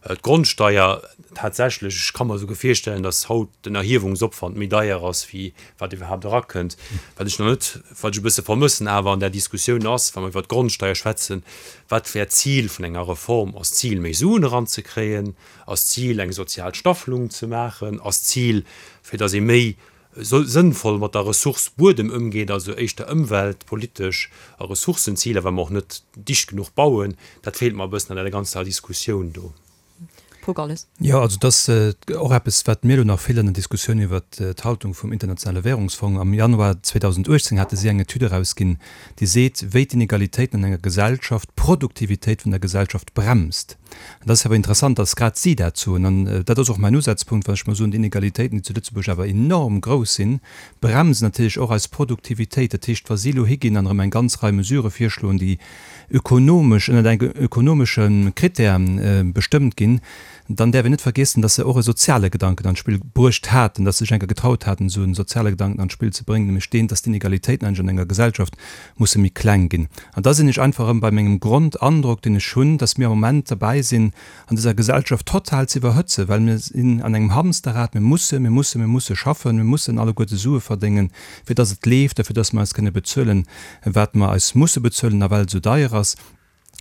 Äh, d'Grondsteier tatsächlech, ech kann mir souguer virstellen, dass haut den Erhiewungsopwand méi deier ass, wéi wat iwwerhaapt erakënnt. Wat ech noch net, wat ech e bësse vermëssen awer an der Diskussioun ass, wa mer iwwer d'Grondsteier schwätzen, wat wär d'Zil vun enger Reform? Ass d'Zil, méi Suen eranzekréien? Ass d'Zil, eng sozial Staffelung ze maachen? Ass d'Zil, fir dass ee méi so sënnvoll mat der Ressource Buedem ëmgeet, also éischter ëmweltpolitesch a Ressourcenziler, wa mer och net dicht genuch bauen? Dat feelt mer e bëssen an der ganzer Diskussioun do. Paul Galles. Ja, also das, äh, och eppes, wat mir elo nach feelt an der Diskussioun iwwer, äh, d'Haltung vum Internationale Währungsfonds. Am Januar zweedausendachtzehn hatte si eng Etüd erausginn, déi seet, wéi d'Inegalitéiten an enger Gesellschaft d'Produktivitéit vun der Gesellschaft bremst. An das ist awer interessant, dass grad si dat soen. An, äh, dat ass och mein Usatzpunkt, well ech mal soen, d'Inegalitéiten, déi zu Lëtzebuerg awer enorm grouss sinn, bremsen natierlech och eis Produktivitéit. Dat heescht, wa si elo higinn an erëm eng ganz Rei Mesure virschloen, déi ökonomesch, ënner engem ökonomesche Krittär, äh, bestëmmt ginn, dann däerf een net vergiessen, dass se och e soziale Gedanken an d'Spill bruecht haten, dass se sech enker getraut haten, esou en soziale Gedanken an d'Spill ze bréngen, nämlech deen, dass d'Inegalitéiten eigentlich an enger Gesellschaft musse méi kleng ginn. An da sinn ech einfach erëm bei mengem Grundandrock, deen ech hunn, dass mir am Moment dabei sinn, an dieser Gesellschaft total ze iwwerhëtzen, well mir sinn an engem Hamsterrad, mir musse, mir musse, mir musse schaffen, mir mussen alleguerte Sue verdéngen, fir dass et leeft, dafür, dass mer eis kënne bezuelen, wat mer eis musse bezuelen, a well et esou deier ass.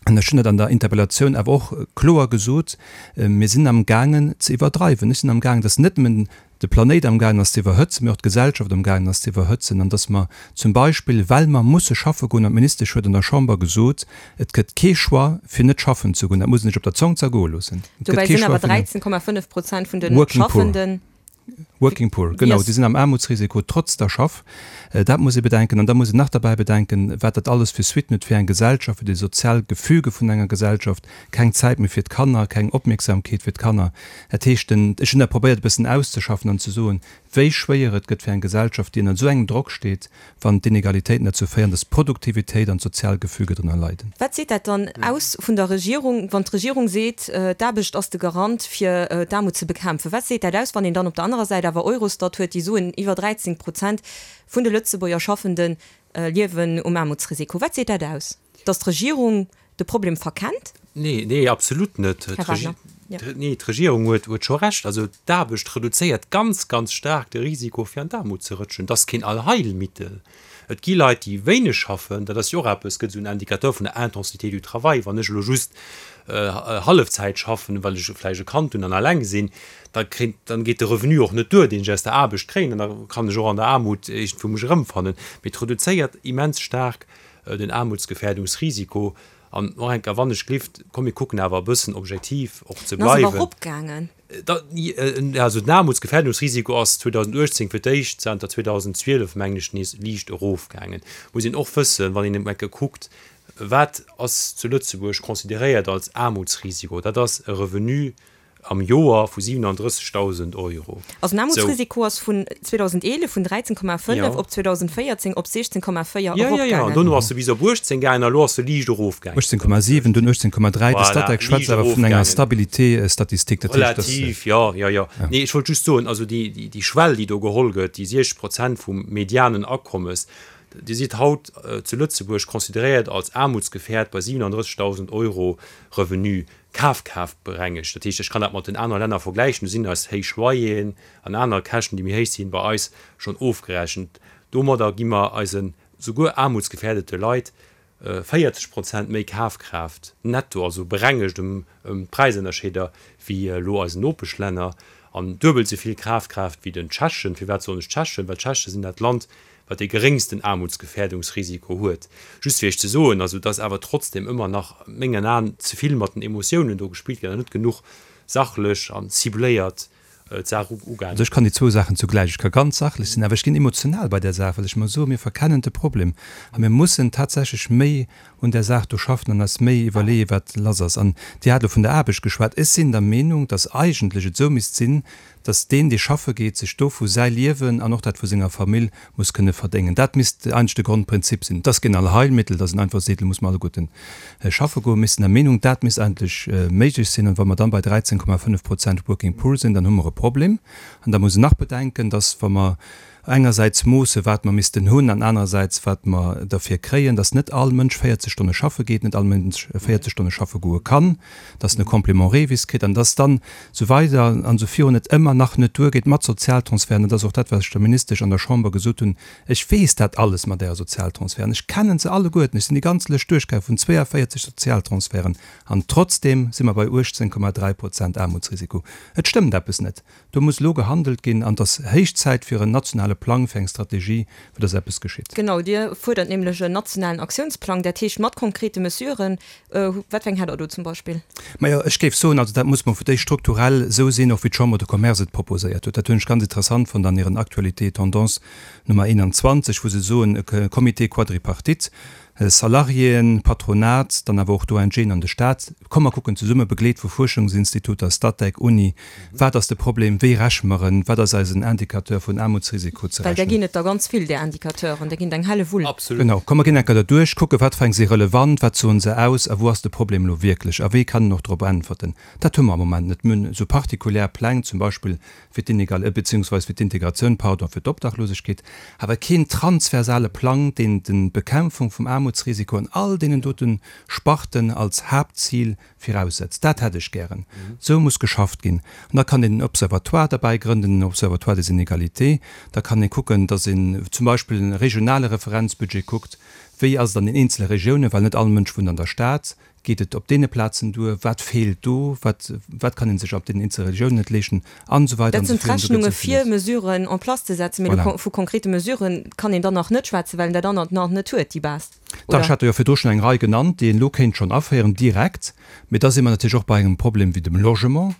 An ech hunn dat an der Interpellatioun awer och kloer gesot, äh, mir sinn am gaangen ze iwwerdreiwen. Ech sinn am gaangen, dass net nëmmen de Planéit am gaangen ass ze iwwerhëtzen, mee och d'Gesellschaft am gaangen ass ze iwwerhëtzen. An dass mer zum Beispill, well mer musse schaffe goen, an d'Ministesch huet an der Chamber gesot, et gëtt kee Choix, fir net schaffen ze goen. Dat muss een sech op der Zong zergoe loossen. Et gëtt Dobäi kee sinn Choix awer fir net dreizehn Komma fënnef Prozent vun den Working Poor. Schaffenden Working Poor, genau, Yes. die sind am Armutsrisiko trotz der Schaff. Äh, dat muss ich bedenken. Und da muss ich nach dabei bedenken, wat dat alles für Suiten huet fir eng Gesellschaft, fir die sozial Gefüge vun enger Gesellschaft, keng Zäit méi fir d'Kanner, keng Opmierksamkeet fir d'Kanner. Dat heescht, den, ech hunn dat probéiert, e bëssen auszeschaffen an ze soen, wéi schwéier et gëtt fir eng Gesellschaft, déi ënner esou engem Drock steet, wann d'Inegalitéiten dazu féieren, dass Produktivitéit an d'Sozialgefüge drënner leiden. Wat seet dat dann aus vun der Regierung, wann d'Regierung seet, äh, d'Aarbecht ass de Garant fir, äh, d'Aarmut ze bekämpfen? Wat seet dat aus, wann een dann op der anderer Säit awer Eurostat huet, déi soen, iwwer dreizehn Prozent vun de Lëtzebuerger Schaffenden, äh, liewen um Aarmutsrisiko? Wat seet dat aus? Dass d'Regierung de Problem verkennt? Nee, nee, absolut net. Herr D'Regi- Wagner, ja. d'Re-, nee, d'Regierung huet, huet scho recht. Also d'Aarbecht reduzéiert ganz, ganz stark de Risiko fir an d'Aarmut ze rëtschen. Das ass keen Allheilmittel. Et gi Leit, déi wéineg schaffen, dat ass jo och eppes, gëtt esou en Indicateur vun der Intensité du travail. Wann ech elo just Hallefzäit schaffen, well ech vläicht e Kand hunn an eleng sinn, da kritt, dann geet de Revenu och net duer, deen ech aus der Aarbecht kréien, an da kann ech och an der Aarmut iergendwou mech erëmfannen. Mee et reduzéiert immens staark den Aarmutsgefährdungsrisiko. An och eng Kéier, wann ech glift, komm mir kucken awer e bëssen objektiv och ze En ass awer bleiwen. eropgaangen. Da, also den Aarmutsgefährdungsrisiko ass zweedausenduechtzéng fir d'éischt zanter zweedausendzwielef, mengen ech, nees liicht erofgaangen. Muss een och wëssen, wann een eng Kéier kuckt, wat ass zu Lëtzebuerg consideréiert als Aarmutsrisiko, dat ass e Revenu am Joer vu siwenandrëssegdausend Euro. Also den Aarmutsrisiko ass vun zweedausendeelef vun dräizéng Komma fënnef op zweedausenvéierzéng op siechzéng Komma véier Jo, jo, jo. eropgaangen. Dono ass se bis op uechtzéng gaangen a elo ass se liicht erofgaangen. uechtzéng Komma siwen, dunn uechtzéng Komma dräi. De Voilà, Statec schwätzt liicht awer vun enger erofgaangen. Stabilité statistique. Dat heescht, dass. Relativ, jo, jo, jo. Nee, ech wollt just soen, also déi, déi Schwell, déi do geholl gëtt, déi siechzeg Prozent vum medianen Akommes, Dir sidd haut zu Lëtzebuerg consideréiert als aarmutsgefährd bei siwenandrëssegdausend Euro Revenu, kafkraaftberengegt. Dat heescht, ech kann dat mat den anere Länner vergläichen, do sinn eis héich Loyeren an aner Käschten, déi méi héich sinn, bei eis schonn ofgerechent. Domadder gi mer eisen souguer aarmutsgefährdete Leit véierzeg Prozent méi Kafkraaft netto, also berengegt ëm d'Präisënnerscheeder, wéi elo eisen Nopeschlänner, an duebel esou vill Kafkraaft wéi den Tschechen. Firwat soen ech Tschechen? Well d'Tscheche sinn dat Land, wat dee geréngsten Aarmutsgefährdungsrisiko huet. Just fir Iech ze soen, also dass awer trotzdem ëmmer nach, a mengen Aen, ze vill mat den Emotiounen do gespillt gëtt an net genuch sachlech an cibléiert d'Saach ugaangen Also ech kann déi zwou Saachen zugläich. Ech ka ganz sachlech sinn, awer ech ginn emotional bei där Saach, well ech mer soen, mir verkennen de Problem a mir mussen tatsächlech méi un där Saach do schaffen an eis méi iwwerleeën, wat lass ass. An Dir hat elo vun der Aarbecht geschwat. Ech sinn der Meenung, dass eigentlech et esou misst sinn, dass deen, dee schaffe geet, sech dovu säi Liewen an och dat vu senger Famill muss kënne verdéngen. Dat misst eigentlech de Grondprinzip sinn. Et ass keen Allheilmittel, dass een einfach seet, elo muss mer alleguerten schaffe goen. Mir sinn der Meenung, dat misst eigentlech méiglech sinn. An wa mer dann bei dräizéng Komma fënnef Prozent Working Poor sinn, dann hu mer e Problem. An da muss een nach bedenken, dass, wa mer engersäits moosse wat mer missten hunn an anerersäits wat mer derfir kréien, dass net all Mënsch véierzeg Stonne schaffe geet, net all Mënsch véierzeg Stonne schaffe goe kann, dass en e Complément Revis kritt an dass dann esou weider an esou virun et ëmmer nach net duergeet mat Sozialtransferten. Dat ass och dat, wat ech der Ministesch an der Chamber gesot hunn. Ech weess dat alles mat Äre Sozialtransferten. Ech kennen se alleguerten. Ech sinn déi ganz Lëscht duerchgaangen vun zwéiavéierzeg Sozialtransferten an trotzdeem si mer bei uechtzéng Komma dräi Prozent Aarmutsrisiko. Et stëmmt eppes net. Do muss elo gehandelt ginn an et ass héich Zäit fir en nationale Plang, fir eng Strategie, fir dass eppes geschitt. Genau, Dir fuerdert nämlech en nationalen Aktiounsplang, dat heescht mat konkrete Mesuren. Wat fir eng hätt Der do zum Beispill? Majo, ech géif soen, also dat muss mol fir d'éischt strukturell esou sinn, och wéi d'Chambre de Commerce et proposéiert huet. Dat hunn ech ganz interessant fonnt an hiren Actualités et tendances Nummer eenanzwanzeg, wou se soen, e Comité quadripartite, Salariéen, Patronat, dann awer och d'ONGen an de Staat, komm mer kucken zesumme, begleet vu Fuerschungsinstituter, Statec, Uni, wat ass de Problem, wéi räche mer en, wat ass eisen Indicateur vun Aarmutsrisiko ze Well där rechnen. ginn et der ganz vill, där Indicateuren, där ginn et eng helle Wull. Absolut. Genau, komm mer ginn eng Kéier derduerch, kucke wat fir eng si relevant, wat soen se aus a wou ass de Problem elo wierklech a wéi kann en och drop äntwerten. Dat hu mer am Moment net. Mir hunn esou partikulär Pläng, zum Beispill fir d'Inegal-, beziehungsweise fir d'Integratioun, pardon, fir d'Obdachlosegkeet, awer keen transversale Plang, deen d'Bekämpfung vum Aarmutsrisiko an all deenen dote Sparten als Haaptzil viraussetzt. Dat hätt ech gären. Esou muss geschafft ginn. An da kann een en Observatoire derbäi grënden, en Observatoire des inégalités. Da kann ee kucken, datt een zum Beispill e regionale Referenzbudget kuckt, wéi ass et an den eenzele Regiounen, well net all Mënsch wunnt an der Stad. Geet et op deene Plazen duer? Wat feelt do? Wat, wat kann ee sech op deenen eenzele Regiounen net leeschten? An esou weider Dat an esou sinn virun. Do gëtt d'Rechnunge esou fir villes. Mesuren en place ze setzen, mee Voilà. vu konkrete Mesuren kann een dann nach net schwätzen, well een dat anert nach net huet, déi Base, Dach, ech oder? hat der jo virdru schonn eng Rei genannt, déi een elo kéint schonn aféieren, direkt. Mee da si mer natierlech och bei engem Problem wéi dem Logement.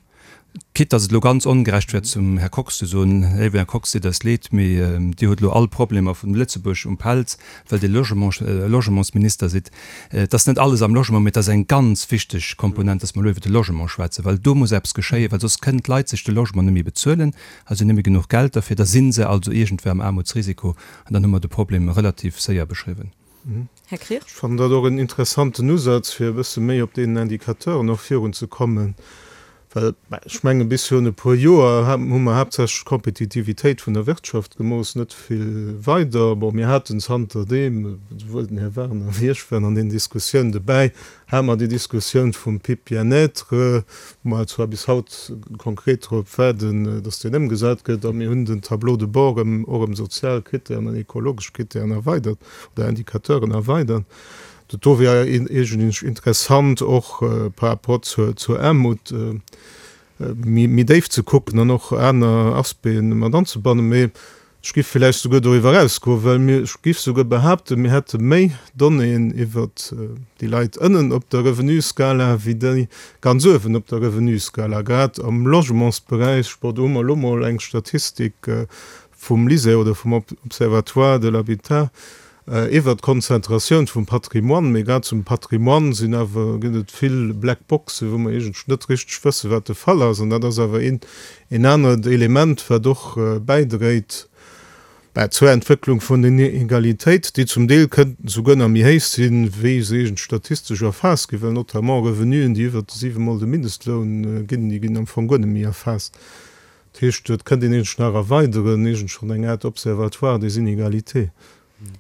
Quitte dass et elo ganz ongerecht wär zum Här Kox ze soen, Léiwen Här Kox, deet eis leed, mee Dir hutt elo all d'Problemer vun Lëtzebuerg um Pelz, well Dir Logement, Logementsminister sidd. Et ass net alles am Logement, mee et ass eng ganz wichteg Komponent, dass mer elo iwwert de Logement schwätzen, well do muss eppes geschéien, well soss kënnen d'Leit sech de Logement net méi bezuelen, also net méi genuch Geld derfir, da si se also iergendwéi am Aarmutsrisiko an dann hu mer de Problem relativ séier beschriwwen. Här Krier. Ech fannen dat och en interessanten Usaz, fir e bësse méi op deenen Indicateuren och virunzekommen. Well ech menge bis virun e puer Joer hu mer haaptsächlech d'Kompetitivitéit vun der Wirtschaft gemooss, net vill weider. Bon, mir haten zanterdeem, esouwuel den Här Werner wéi ech waren an deenen Diskussiounen dobäi, hate mer déi Diskussioun vum PIB Bien-être, wou mer zwar bis haut konkret drop waarden, datt deen ëmgesat gëtt, a mir hunn den Tableau de bord erëm och ëm sozial Krittären an ekologesch Krittären erweidert oder Indicateuren erweidert. Dat do wär iergendwéi interessant och par rapport zur, zur Aarmut méi, méi déif ze kucken an och aner Aspecten mat anzebannen. Mee ech géif villäicht souguer doriwwer erausgoen, well mir, ech géif souguer behaapten, mir hätte méi Donnéeën iwwert déi Leit ënnen op der Revenuskala wéi déi ganz uewen op der Revenuskala, grad am Logementsberäich. Bon, do hu mer elo mol eng Statistik vum LISER oder vum Observatoire de l'habitat, Iwwert d'Konzentratioun vum Patrimoine, mee grad zum Patrimoine sinn awer, gëtt et vill Black Boxen, wou mer iergendwéi net richteg wëssen, wat de Fall ass. An dat ass awer een, een anert Element, wat och bäidréit bäi zur Entwécklung vun den Inegalitéit, déi zum Deel kënnten souguer nach méi héich sinn, wéi se iergendwéi statistesch erfaasst ginn, well notamment Revenuen, déi iwwert de siwe Mol de Mindestloun ginn, déi ginn am Fong guer net méi erfaasst. Dat heescht, et kënnt een iergendwéi nach erweideren, iergendwéi schonn eng Aart Observatoire des inégalités.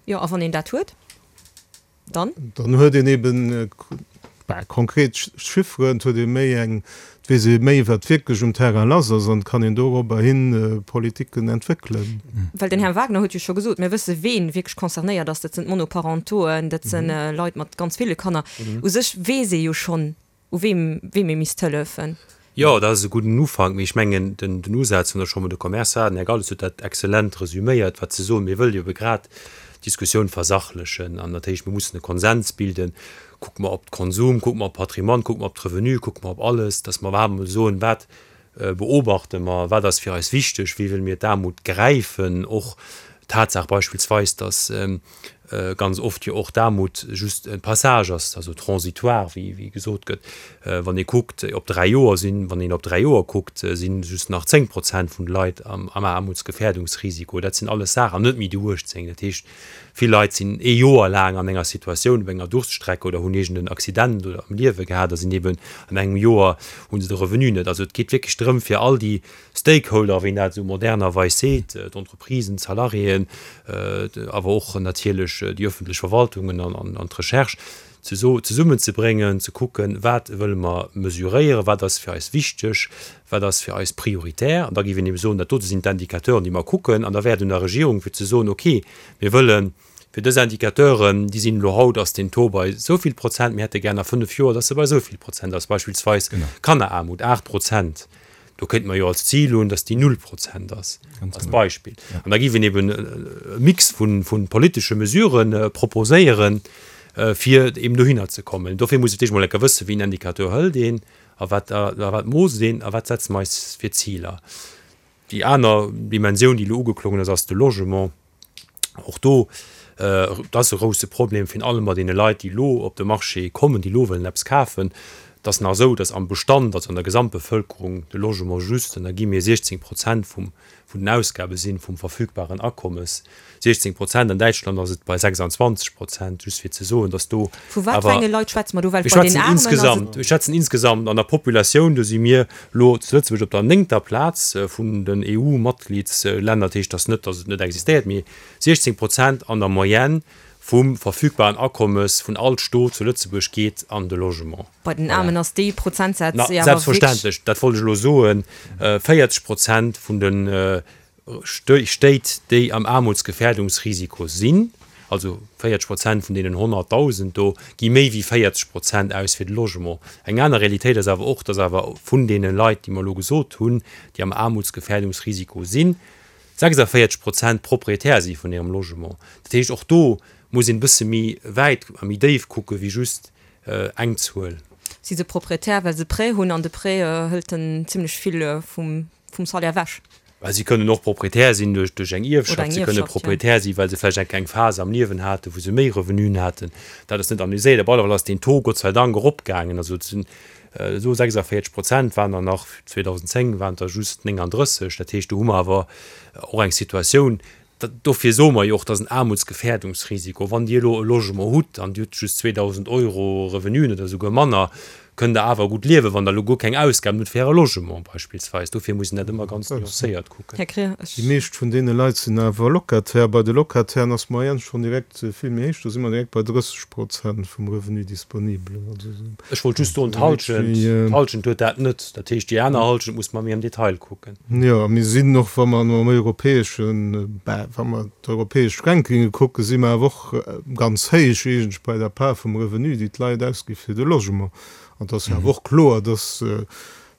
Jo, a wann een dat huet, dann? Dann huet een eben konkret Chifferen, et huet ee méi eng, et weess ee méi, wat wierklech um Terrain lass ass an et kann een dorobber hi Politiken entwéckelen. Well den Här Wagner huet jo scho gesot, mir wësse ween wierklech concernéiert ass, dat sinn d'Monoparentoen, dat si Leit mat ganz ville Kanner. U sech weess ee jo schonn, u weem, weem ee misst hëllefen. Jo, dat ass e gudden Ufank, mee ech mengen, den, den Usaz vun der Chambre de Commerce war, den Här Galles huet dat exzellent resüméiert, wat ze soen, mir wëlle jo ebe grad d'Diskussioun versachlechen an dat heescht, mir mussen e Konsens bilden, kucke mer op d'Konsum, kucke mer op d'Patrimoine, kucke mer op d'Revenue, kucke mer op alles, dass mer iwwerhaapt emol soen, wat beobachte mer, wat ass fir eis wichteg, wéi wëlle mir d'Aarmut gräifen, och d'Tatsaach beispillsweis, dass ganz oft jo och d'Aarmut just e Passage ass, also transitoire, wéi wéi gesot gëtt. Wann ee kuckt op dräi Joer sinn, wann een op dräi Joer kuckt, si just nach zéng Prozent vun de Leit am am Aarmutsgefährdungsrisiko. Dat sinn alles Saachen, an net méi déi uechtzéng. Dat heescht, vill Leit sinn ee Joer laang an enger Situatioun, op enger Durststrecke oder hunn iergend en Accident oder am Liewe gehat a sinn eben an engem Joer hu se de Revenu net. Also et geet wierklech drëm, fir all déi Stakeholder, wéi een dat esou modernerweis seet, d'Entreprisen, d'Salariéen, awer och natierlech déi öffentlech Verwaltungen an d'Recherche, zesummenzebréngen, ze kucken, wat wëlle mer mesuréieren, wat ass fir eis wichteg, wat ass fir eis prioritär. An da géif een ebe soen, dat dote sinn d'Indicateuren, déi mer kucken. An da wär et un der Regierung, fir ze soen, okay, mir wëlle fir dës Indicateuren, déi sinn elo haut, ass den Taux bei esou vill Prozent, mir hätte gär a fënnef Joer, dass se bei esou vill Prozent ass, beispillsweis Kanneraarmut, aacht Prozent. Do kéinte mer jo als Zil hunn, dass déi null Prozent ass, als Beispill. An da géif een eben e Mix vu politesche Mesurë proposéieren, fir eben dohinner ze kommen. Dofir muss ee fir d'éischt emol enker wëssen, wéi een Indicateur hëlt een a wat a wat moosst een a wat setze mer eis fir Ziler. Déi aner Dimensioun, déi elo ugeklongen ass, ass de Logement. Och do, dat ass e grousse Problem, virun allem bei deene Leit, déi elo op de Marché kommen, déi elo wëllen eppes kafen. Et ass nach esou, datt am Bestand, also an der Gesamtbevölkerung, de Logement just, an da gi mir siechzéng Prozent vum, vun den Ausgabe sinn, vum verfügbaren Akommes, siechzéng Prozent. An Däitschland ass et bei sechsanzwanzeg Prozent, just fir ze soen, datt do Vu wat fir awer, enge Leit schwätze mer do? Well mir bei den schwätzen Aarmen ass et. insgesamt, mir schwätzen insgesamt an der Populatioun, do si mir elo zu Lëtzebuerg op der néngter Plaz vun den E U-Matgliedslänner. Dat heescht, datt net, datt et net existéiert, mee siechzéng Prozent an der Moyenne vum verfügbaren Akommes vun all Stot zu Lëtzebuerg geet an de Logement. Bei den Voilà. Aarmen ass dee Prozentsaz Na, jo awer wierklech. selbstverständlech, dat wollt ech elo soen, véierzeg Prozent vun de Stéit, déi am Aarmutsgefährdungsrisiko sinn, also véierzeg Prozent vun deenen honnertdausend do, gi méi wéi véierzeg Prozent aus fir de Logement. Eng aner Realitéit ass awer och, dass awer vun deene Leit, déi mer elo gesot hunn, déi am Aarmutsgefährdungsrisiko sinn, sechsavéierzeg Prozent Proprietär si vun hirem Logement. Dat heescht, och do muss een e bësse méi wäit a méi déif kucke wéi just eng Zuel. Si se Proprietär, well se Prêt hunn, an de Prêt hëlt en zimlech vill vum Salaire ewech. Well si kënnen och Proprietär sinn duerch duerch eng Oder Ierfschaft, eng si kënne Ierfschaft, jo. Proprietär sinn, well se vläicht eng eng Phas am Liewen haten, wou se méi Revenuen haten. Dat ass net analyséiert. Op alle Fall ass deen Taux Gott sei Dank eropgaangen. Also et sinn esou sechsavéierzeg Prozent waren der nach zweedausendzéng waren der just nénganddrësseg. Dat heescht, do hu mer awer och eng Situatioun, dofir soe mer jo och, dat ass en Aarmutsgefährdungsrisiko. Wann Dir elo e Logement hutt an Dir hutt just zweedausend Euro Revenuen oder esouguer manner, kënnt Der awer gutt liewen, wann Der elo guer keng Ausgaben hutt fir Äre Logement beispillsweis. Dofir muss een dat ëmmer ganz nuancéiert kucken. Här Krier, ech. Déi meescht vun deene Leit sinn awer Locataire. Bei de Locatairen ass d'Moyenne schonn direkt vill méi héich, do si mer direkt bei drësseg Prozent vum Revenu disponible. Also Ech wollt just soen, d'Hallschent, d'Hallschent huet dat net. Dat heescht, déi aner Hallschent muss mer méi am Detail kucken. Jo, a mir sinn och, wa mer am europäeschen, bah, wa mer d'europäesch Rankinge kucken, si mer awer och ganz héich eigentlech bei der Part vum Revenu, déi d'Leit ausgi fir de Logement. An et ass jo awer och kloer, dass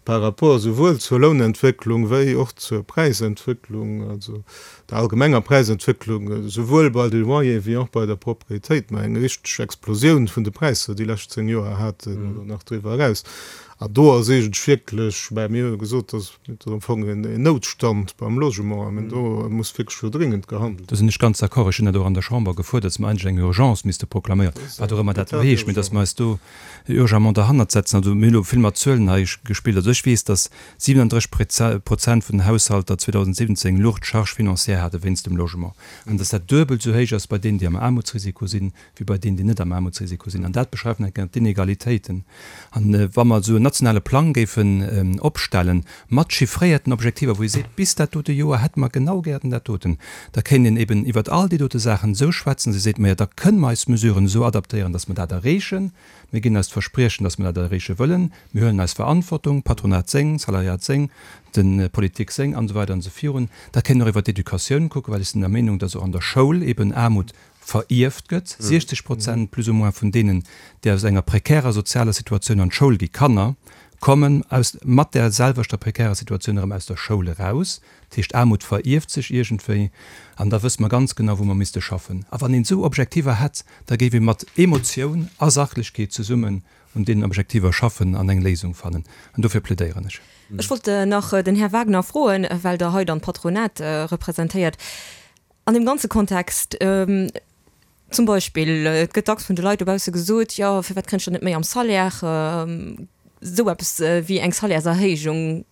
par rapport esouwuel zur Lounentwécklung wéi och zur Präisentwécklung, also der allgemenger Präisentwécklung, esouwuel bei de Loyere wéi och bei der Propriétéit, mer eng richteg Explosioun vun de Präisser déi lescht zéng Joer haten oder nach driwwer eraus. An do ass eigentlech wierklech, mä mir hu gesot, dass et ass am Fong en Noutstand beim Logement a do muss wierklech elo dringend gehandelt Do sinn ech ganz d'accord. Ech hunn dat och an der Chamber gefuerdert, dass mer eigentlech eng Urgence misste proklaméieren, wat och ëmmer dat elo heescht, mee dass mer eis do urgemment derhannert setzen. Also mir hunn elo vill mat Zuelen hei gespillt. Also ech weess, dass siewenunddrësseg Prozent vun den Haushalter zweedausendsiwwenzéng lourd Charges financières hate wéinst dem Logement an dass dat duebel esou héich ass bei deenen, déi am Aarmutsrisiko sinn, wéi bei deenen, déi net am Aarmutsrisiko sinn. An dat beschreift nach eng Kéier d'Inegalitéiten. An wa mer esou en nationale Plang géifen opstellen, mat chiffréierten Objektiver, wou ee seet, bis dat dote Joer hätte mer genau gären dat doten, da kéint een eben iwwert all déi dote Saachen esou schwätzen, dass ee seet, majo, da kënne mer eis Mesuren esou adaptéieren, dass mer dat erreechen. Mir ginn eis d'Verspriechen, dass mer dat erreeche wëllen. Mir huelen eis Verantwortung, Patronat seng, Salariat seng, d'Politik seng an esou weider an esou virun. Da kéint een och iwwert d'Educatioun kucken, well ech sinn der Meenung, dass och an der Schoul eben Aarmut verierft gëtt. siechzeg Prozent plus ou moins vun deenen, déi aus enger prekärer sozialer Situatioun an d'Schoul gi, Kanner, kommen aus mat där selwechter prekärer Situatioun erëm aus der Schoul eraus. Dat heescht, Aarmut verierft sech iergendwéi. An da wësst mer ganz genau, wou mer misste schaffen. A wann een esou Objektiver hätt, da géif ee mat Emotioun a Sachlechkeet zesummen un deenen Objektiver schaffen an eng Léisung fannen. An dofir plädéieren ech. Ech wollt nach den Här Wagner froen, well Der hei dann d'Patronat representéiert, an deem ganze Kontext, zum Beispill, et gëtt dacks vun de Leit dobausse gesot, jo, firwat kréien ech dann net méi am Salaire? Esou eppes wéi eng Salairserhéijung,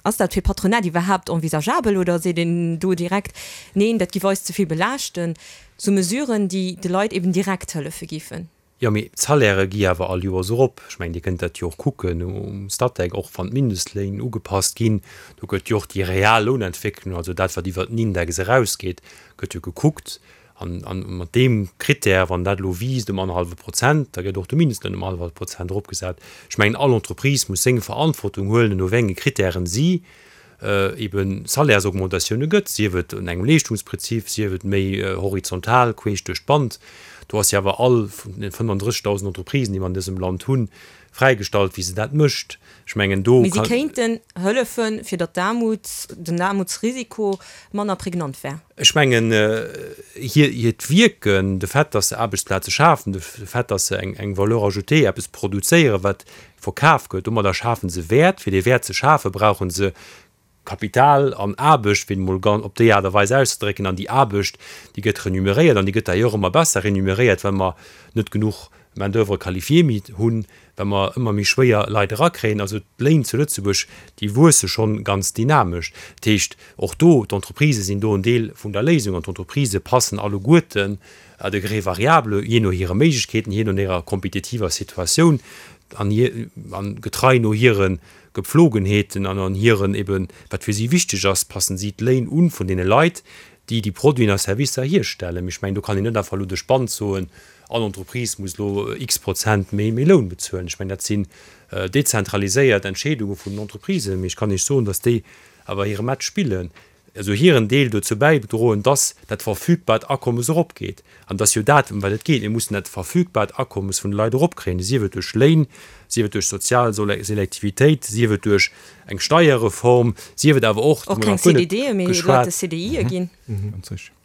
ass dat fir d'Patronat iwwerhaapt envisageabel oder seet een do direkt, neen, dat giff eis ze vill belaaschten? Esou Mesuren, déi de Leit eben direkt hëllefe giffen. Jo, mee d'Salairë gi awer all Joers erop. Ech mengen, Dir kënnt dat jo och kucken um Statec, och wann d'Mindestléin ugepasst ginn, do gëtt jo och déi real Lounentwécklung, also dat, wat iwwert den Index erausgeet, gëtt jo gekuckt. An mat deem Krittär, wann dat elo wiisst ëm annerhallwe Prozent, da gëtt och de Mindestloun ëm annerhallwe Prozent eropgesat. Ech mengen, all Entreprise muss seng Verantwortung huelen, no wéi enge Krittären si ebe Salaires-Augmentatioune gëtt, sief et un engem Leeschtungsprinzip, sief et méi horizontal, queesch duerch d'Band. Do ass jo awer all vun den fënnfandrëssigtausend Entreprisen, déi mer an dësem Land hunn, fräigestallt, wéi se dat mécht. Ech mengen, do Mee si kéinten hëllefen, fir datt d'Aarmut, den Aarmutsrisiko manner prägnant wär. Ech mengen, hir, hiert Wierken, de Fait, datt se Aarbechtsplaze schafen, de Fait, datt se eng, eng Valeur ajoutée, eppes produzéieren, wat verkaf gëtt, domadder schafe se Wäert. Fir dee Wäert ze schafen, brauche se Kapital an Aarbecht, fir et emol op déi Aart a Weis auszedrécken, an déi Aarbecht, déi gëtt remuneréiert an déi gëtt d'ailleurs ëmmer besser remuneréiert, well mer net genuch Main d'oeuvre qualifiée méi hunn, well mer ëmmer méi schwéier Leit erakréien. Also d'Léin zu Lëtzebuerg, déi wuesse schonn ganz dynamesch. Dat heescht, och do, d'Entreprisë sinn do en Deel vun der Léisung an d'Entreprisë passen alleguerten à degré variable, jee no hire Méiglechkeeten, jee no hirer kompetitiver Situatioun an getrei no hire Gepflogenheeten an an hiren eben, wat fir si wichteg ass, passen si d'Léin un vun deene Leit, déi déi Produiten a Servicer hierstellen. Mee ech mengen, do kann een net einfach elo duerch d'Band soen, all Entreprise muss elo x Prozent méi méi Loun bezuelen. Ech mengen, dat sinn dezentraliséiert Entscheedunge vun den Entreprisen. Mee ech kann Iech soen, datt déi awer hire Match spillen. also hiren Deel dozou bäidroen, dass dat verfügbart Akommes eropgeet. An et ass jo dat, ëm wat et geet, Mir mussen dat verfügbart Akommes vun de Leit eropkréien, sief et duerch Léin, sief et duerch sozial Selektivitéit, sief et duerch eng Steierreform, sief et awer och, Och keng C D Dë méi, Leit de C D Ië ginn.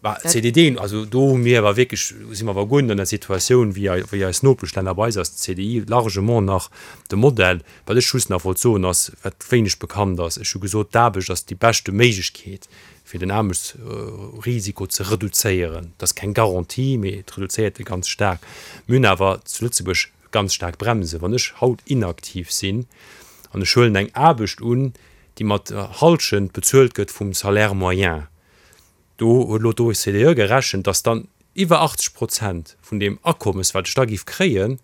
Bah, C D Dën, also do hu mir awer wierklech, si mer awer guer net an der Situatioun wéi wéi eis Nopeschlänner. Bei eis ass de C D I largement nach de Modell. Wat ech just nach wollt soen ass, wat wéineg bekannt ass, ech hu gesot, d'Aarbecht ass déi beschte Méiglechkeet fir den Aarmutsrisiko ze reduzéieren. Dat ass keng Garantie, mee et reduzéiert e ganz staark. Mir hunn awer zu Lëtzebuerg ganz staark Bremsen. Wann ech haut inaktiv sinn an ech huelen eng Aarbecht un, déi mat Hallschent bezuelt gëtt vum Salaire moyen, do huet elo d'O E C D E gerechent, dass dann iwwer achtzeg Prozent vun deem Akommes, wat ech da géif kréien,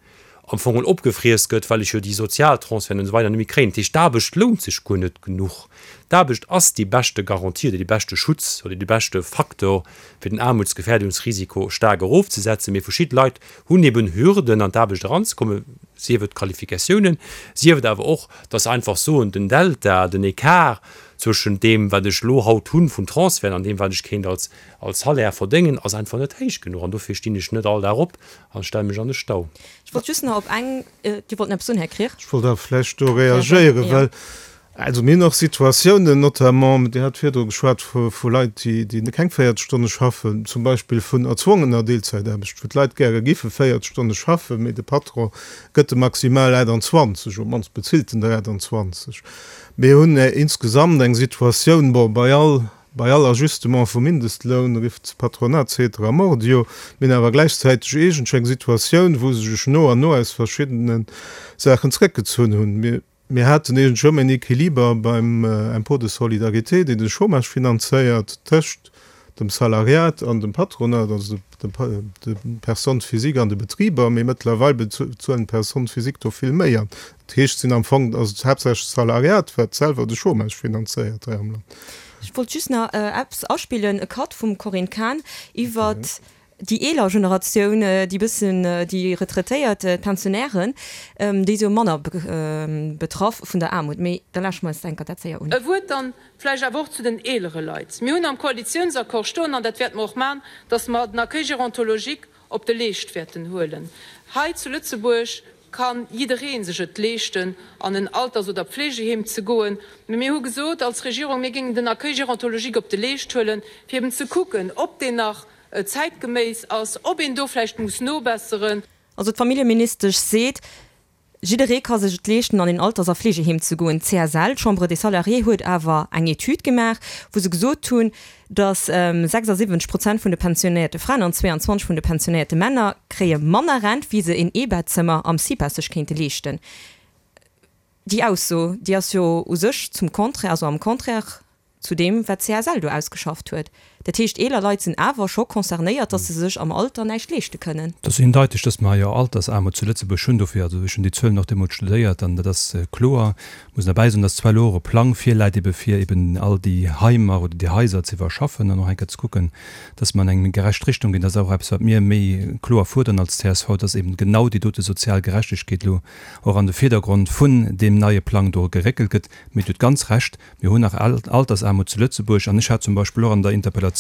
am Fong opgefriess gëtt, well ech jo déi Sozialtransferten an esou weider net méi kréien. Dat heescht, d'Aarbecht lount sech guer net genuch. D'Aarbecht ass déi beschte Garantie oder dee beschte Schutz oder dee beschte Faktor, fir den Aarmutsgefährdungsrisiko staark erofzesetzen. Mee verschidde Leit hunn eben Hürden, an d'Aarbecht eranzekommen, sief et d'Qualifikatiounen, sief et awer och, dass se einfach soen, den Delta, den Ecart zwëschent deem, wat ech elo haut hunn vun Transferten an deem, wat ech kéint als als Salaire verdéngen, ass einfach net héich genuch. An dofir stinn ech net all Dag op an stelle mech an de Stau. Ech wollt just nach op eng, Dir wollt nach eppes soen, Här Krier? Ech wollt awer vläicht do reagéieren, well Also mir hunn och Situatiounen, notamment, Dir hat virdru geschwat vu Leit, déi keng véierzeg Stonne schaffen, zum Beispill vun erzwongener Deelzäitaarbecht, wou d'Leit gäre giffe véierzeg Stonne schaffen, mee de Patron gëtt de maximal aachtanzwanzeg, op d'mannst bezilt en der aachtanzwanzeg. Mir hunn insgesamt eng Situatioun, bon, bei all, bei all Ajustement vum Mindestloun rifft d'Patronat ceteram mordio. Mir hunn awer gläichzäiteg iergendwéi eng Situatioun, wou se sech no an no aus verschiddene Saachen zréckgezunn hunn. Mir. Mir haten iergendwou ëmmer en Equiliber beim Impôt de solidarité, deen de Chômage finanzéiert, tëscht dem Salariat an dem Patronat, also de Personnes physiques an de Betriber. Mee mëttlerweil bezuelen d'Personnes physiques do vill méi. An dat heescht, et sinn am Fong, ass et haaptsächlech d'Salariat, wat selwer de Chômage finanzéiert hei am Land. Ech wollt just nach eppes aspillen, e Cut vum Corinne Cahen iwwert déi eeler Generatioun, déi bëssen déi Retraitéiert, d'Pensionnairen, déi si jo manner betraff vun der Aarmut. Mee da lauschteren mer eis enker dat séier un. E Wuert dann vläicht awer och zu den eelere Leit. Mir hunn am Koalitiounsaccord stoen, an dat wäerte mer och maachen, dass mer den Accueil gérontologique op de Leescht wäerten huelen. Hei zu Lëtzebuerg ka jidderee sech et leeschten, an en Alters oder Pflegeheem ze goen. Mee mir hu gesot als Regierung, mir géingen den Accueil gérontologique op de Leescht huelen, fir eben ze kucken, ob deen nach zäitgeméiss ass, ob een do vläicht muss nobesseren. Also d'Familljeministesch seet, jidderee ka sech et leeschten an een Alters a Fleegeheem ze goen. D'CSL, d'Chambre des Salariés, huet awer eng Etüd gemaach, wou se gesot hunn, datt sechsasiwwenzeg Prozent vun de pensionéierte Fraen an zweeanzwanzeg vun de pensionéierte Männer kréie manner Rent, wéi se een Eebettzëmmer am CIPA sech kéinte leeschten. Déi Ausso, déi ass jo u sech zum Contraire, also am Contraire zu deem, wat d'CSL do ausgeschafft huet. Dat heescht, eeler Leit sinn awer scho concernéiert, datt se sech am Alter näischt leeschte kënnen. Et ass eendeiteg, datt mer jo Altersaarmut zu Lëtzebuerg hunn. Dofir, also ech hunn déi Zuelen och deemools studéiert an dat ass kloer. Ech muss derbäi soen, datt zwar elo och e Plang virläit, ebe fir eben all déi Heimer oder déi Haiser ze iwwerschaffen an och eng Kéier ze kucken, datt mer an eng méi gerecht Richtung ginn. Dat ass och eppes, wat mir méi kloer fuerderen als csv, datt eben genau déi dote sozial Gerechtegkeet elo och an de Virdergrond vun deem neie Plang do geréckelt gëtt. Mee Dir hutt ganz Recht, mir hunn nach Altersaarmut zu Lëtzebuerg. An ech hat zum Beispill och an der Interpellatioun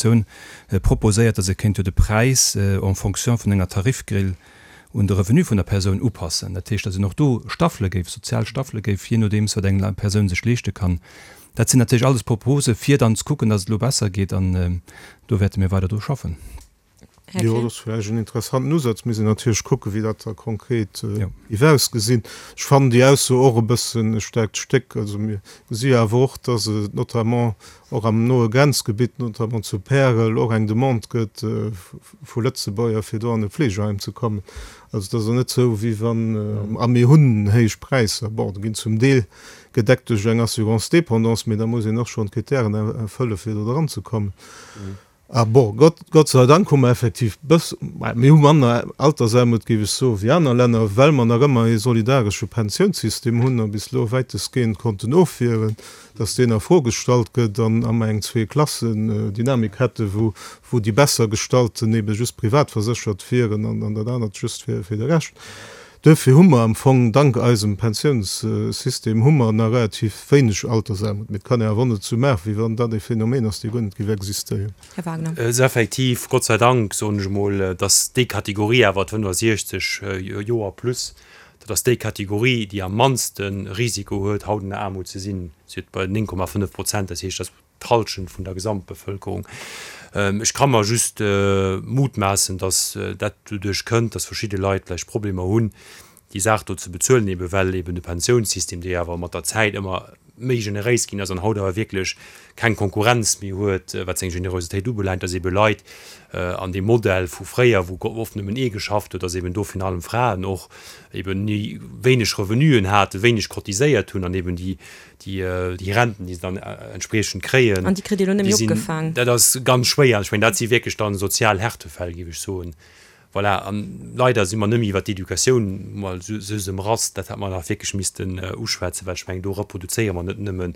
proposéiert, datt ee kéint jo de Präis en fonction vun enger Tarifgrill un de Revenu vun der Persoun upassen. Dat heescht, datt een och do Staffele géif, sozial Staffele géif, jee nodeems wat eng Persoun sech leeschte kann. Dat sinn natierlech alles Propose fir dann ze kucken, datt et elo besser geet. An do wäerte mir weider dru schaffen. Här Jo, Krier. dat ass vläicht en interessanten Usaz. Mir sinn natierlech kucken, wéi dat da konkret géif ausgesinn. Ech fannen déi Ausso och e bëssen e staarkt Stéck. Also mir gesi jo awer och, dass et notamment och am noe Grenzgebitt, notamment zu Pärel, och eng Demande gëtt vu Lëtzebuerger, fir do an e Fleegeheim ze kommen. Also et ass och net esou, wéi wann, a mir hunn héich Präisser, bon, déi ginn zum Deel gedeckt duerch eng Assurance dépendance, mee da muss een och schonn d'Kritären erfëlle fir do dranzekommen. A bon, Gott, Gott sei Dank hu mer effektiv bëss, mir hu manner Altersaarmut, géif ech soen, wéi aner Länner, well mer nach ëmmer ee solidaresche Pensiounssystem hunn a bis elo wäitestgehend konnten ofwieren, dass deen a Fro gestallt gëtt an a mer eng Zwee-Klassen-Dynamik hätten, wou, wou déi Bessergestallten ebe just privat verséchert wieren an, an dat anert just fir, fir de Rescht. Duerfir hu mer am Fong, dank eisem Pensiounssystem, hu mer nach relativ wéineg Altersaarmut. Mee et kann een awer och net esou maachen, wéi wann dat e Phänomen ass, dee guer net géif existéieren. Här Wagner. Et ass effektiv, Gott sei Dank, soen ech emol, dass déi Kategorie awer, d'fënnefasiechzeg Joer plus, dat ass déi Kategorie, déi am mannste Risiko huet, haut an der Aarmut ze sinn. Si huet bei néng Komma fënnef Prozent, dat heescht, dat ass d'Hallschent vun der Gesamtbevëlkerung. Ech ka mer just mutmaassen, datt dat doduerch kënnt, datt verschidde Leit vläicht Problemer hunn, déi Saach do ze bezuelen, ebe well eben de Pensiounssystem, dee awer mat der Zäit ëmmer méi generéis ginn ass an haut awer wierklech keng Konkurrenz méi huet, wat seng Generositéit ubelaangt, datt ebe Leit an deem Modell vu fréier, wou oft nëmmen ee geschafft huet, datt eben do virun allem Fraen och eben wéineg Revenuen haten, wéineg cotiséiert hunn an eben déi déi Renten, déi se dann entspriechend kréien, An déi kritt Dir elo net déi méi sinn, opgefaang. dat ass ganz schwéier. Ech mengen, dat si wierklech dann sozial Härtefäll, géif ech soen, Voilà, an leider si mer nëmme iwwer d'Educatioun mol sou ëm Rass, dat hätt mer nach wierklech missten uschwätzen, well ech mengen, do reproduzéiere mer net nëmmen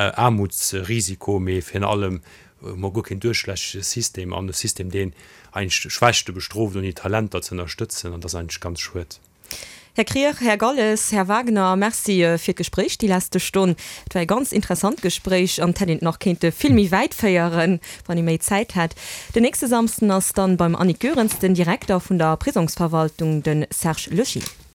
Aarmutsrisiko, mee virun allem hu mer guer keen duerchlässege System an e System, deen eigentlech d'Schwächte bestrooft, ouni d'Talenter ze ënnerstëtzen, an dat ass eigentlech ganz schued. Här Krier, Här Galles, Här Wagner, Merci fir d'Gespréich déi leschte Stonn. Et war e ganz interessant Gespréich an et hätt een et nach kéinte vill méi wäit féieren, wann ee méi Zäit hätt. Den nächste Samsden ass dann beim Annick Goerens den Direkter vun der Prisongsverwaltung, de Serge Lochier.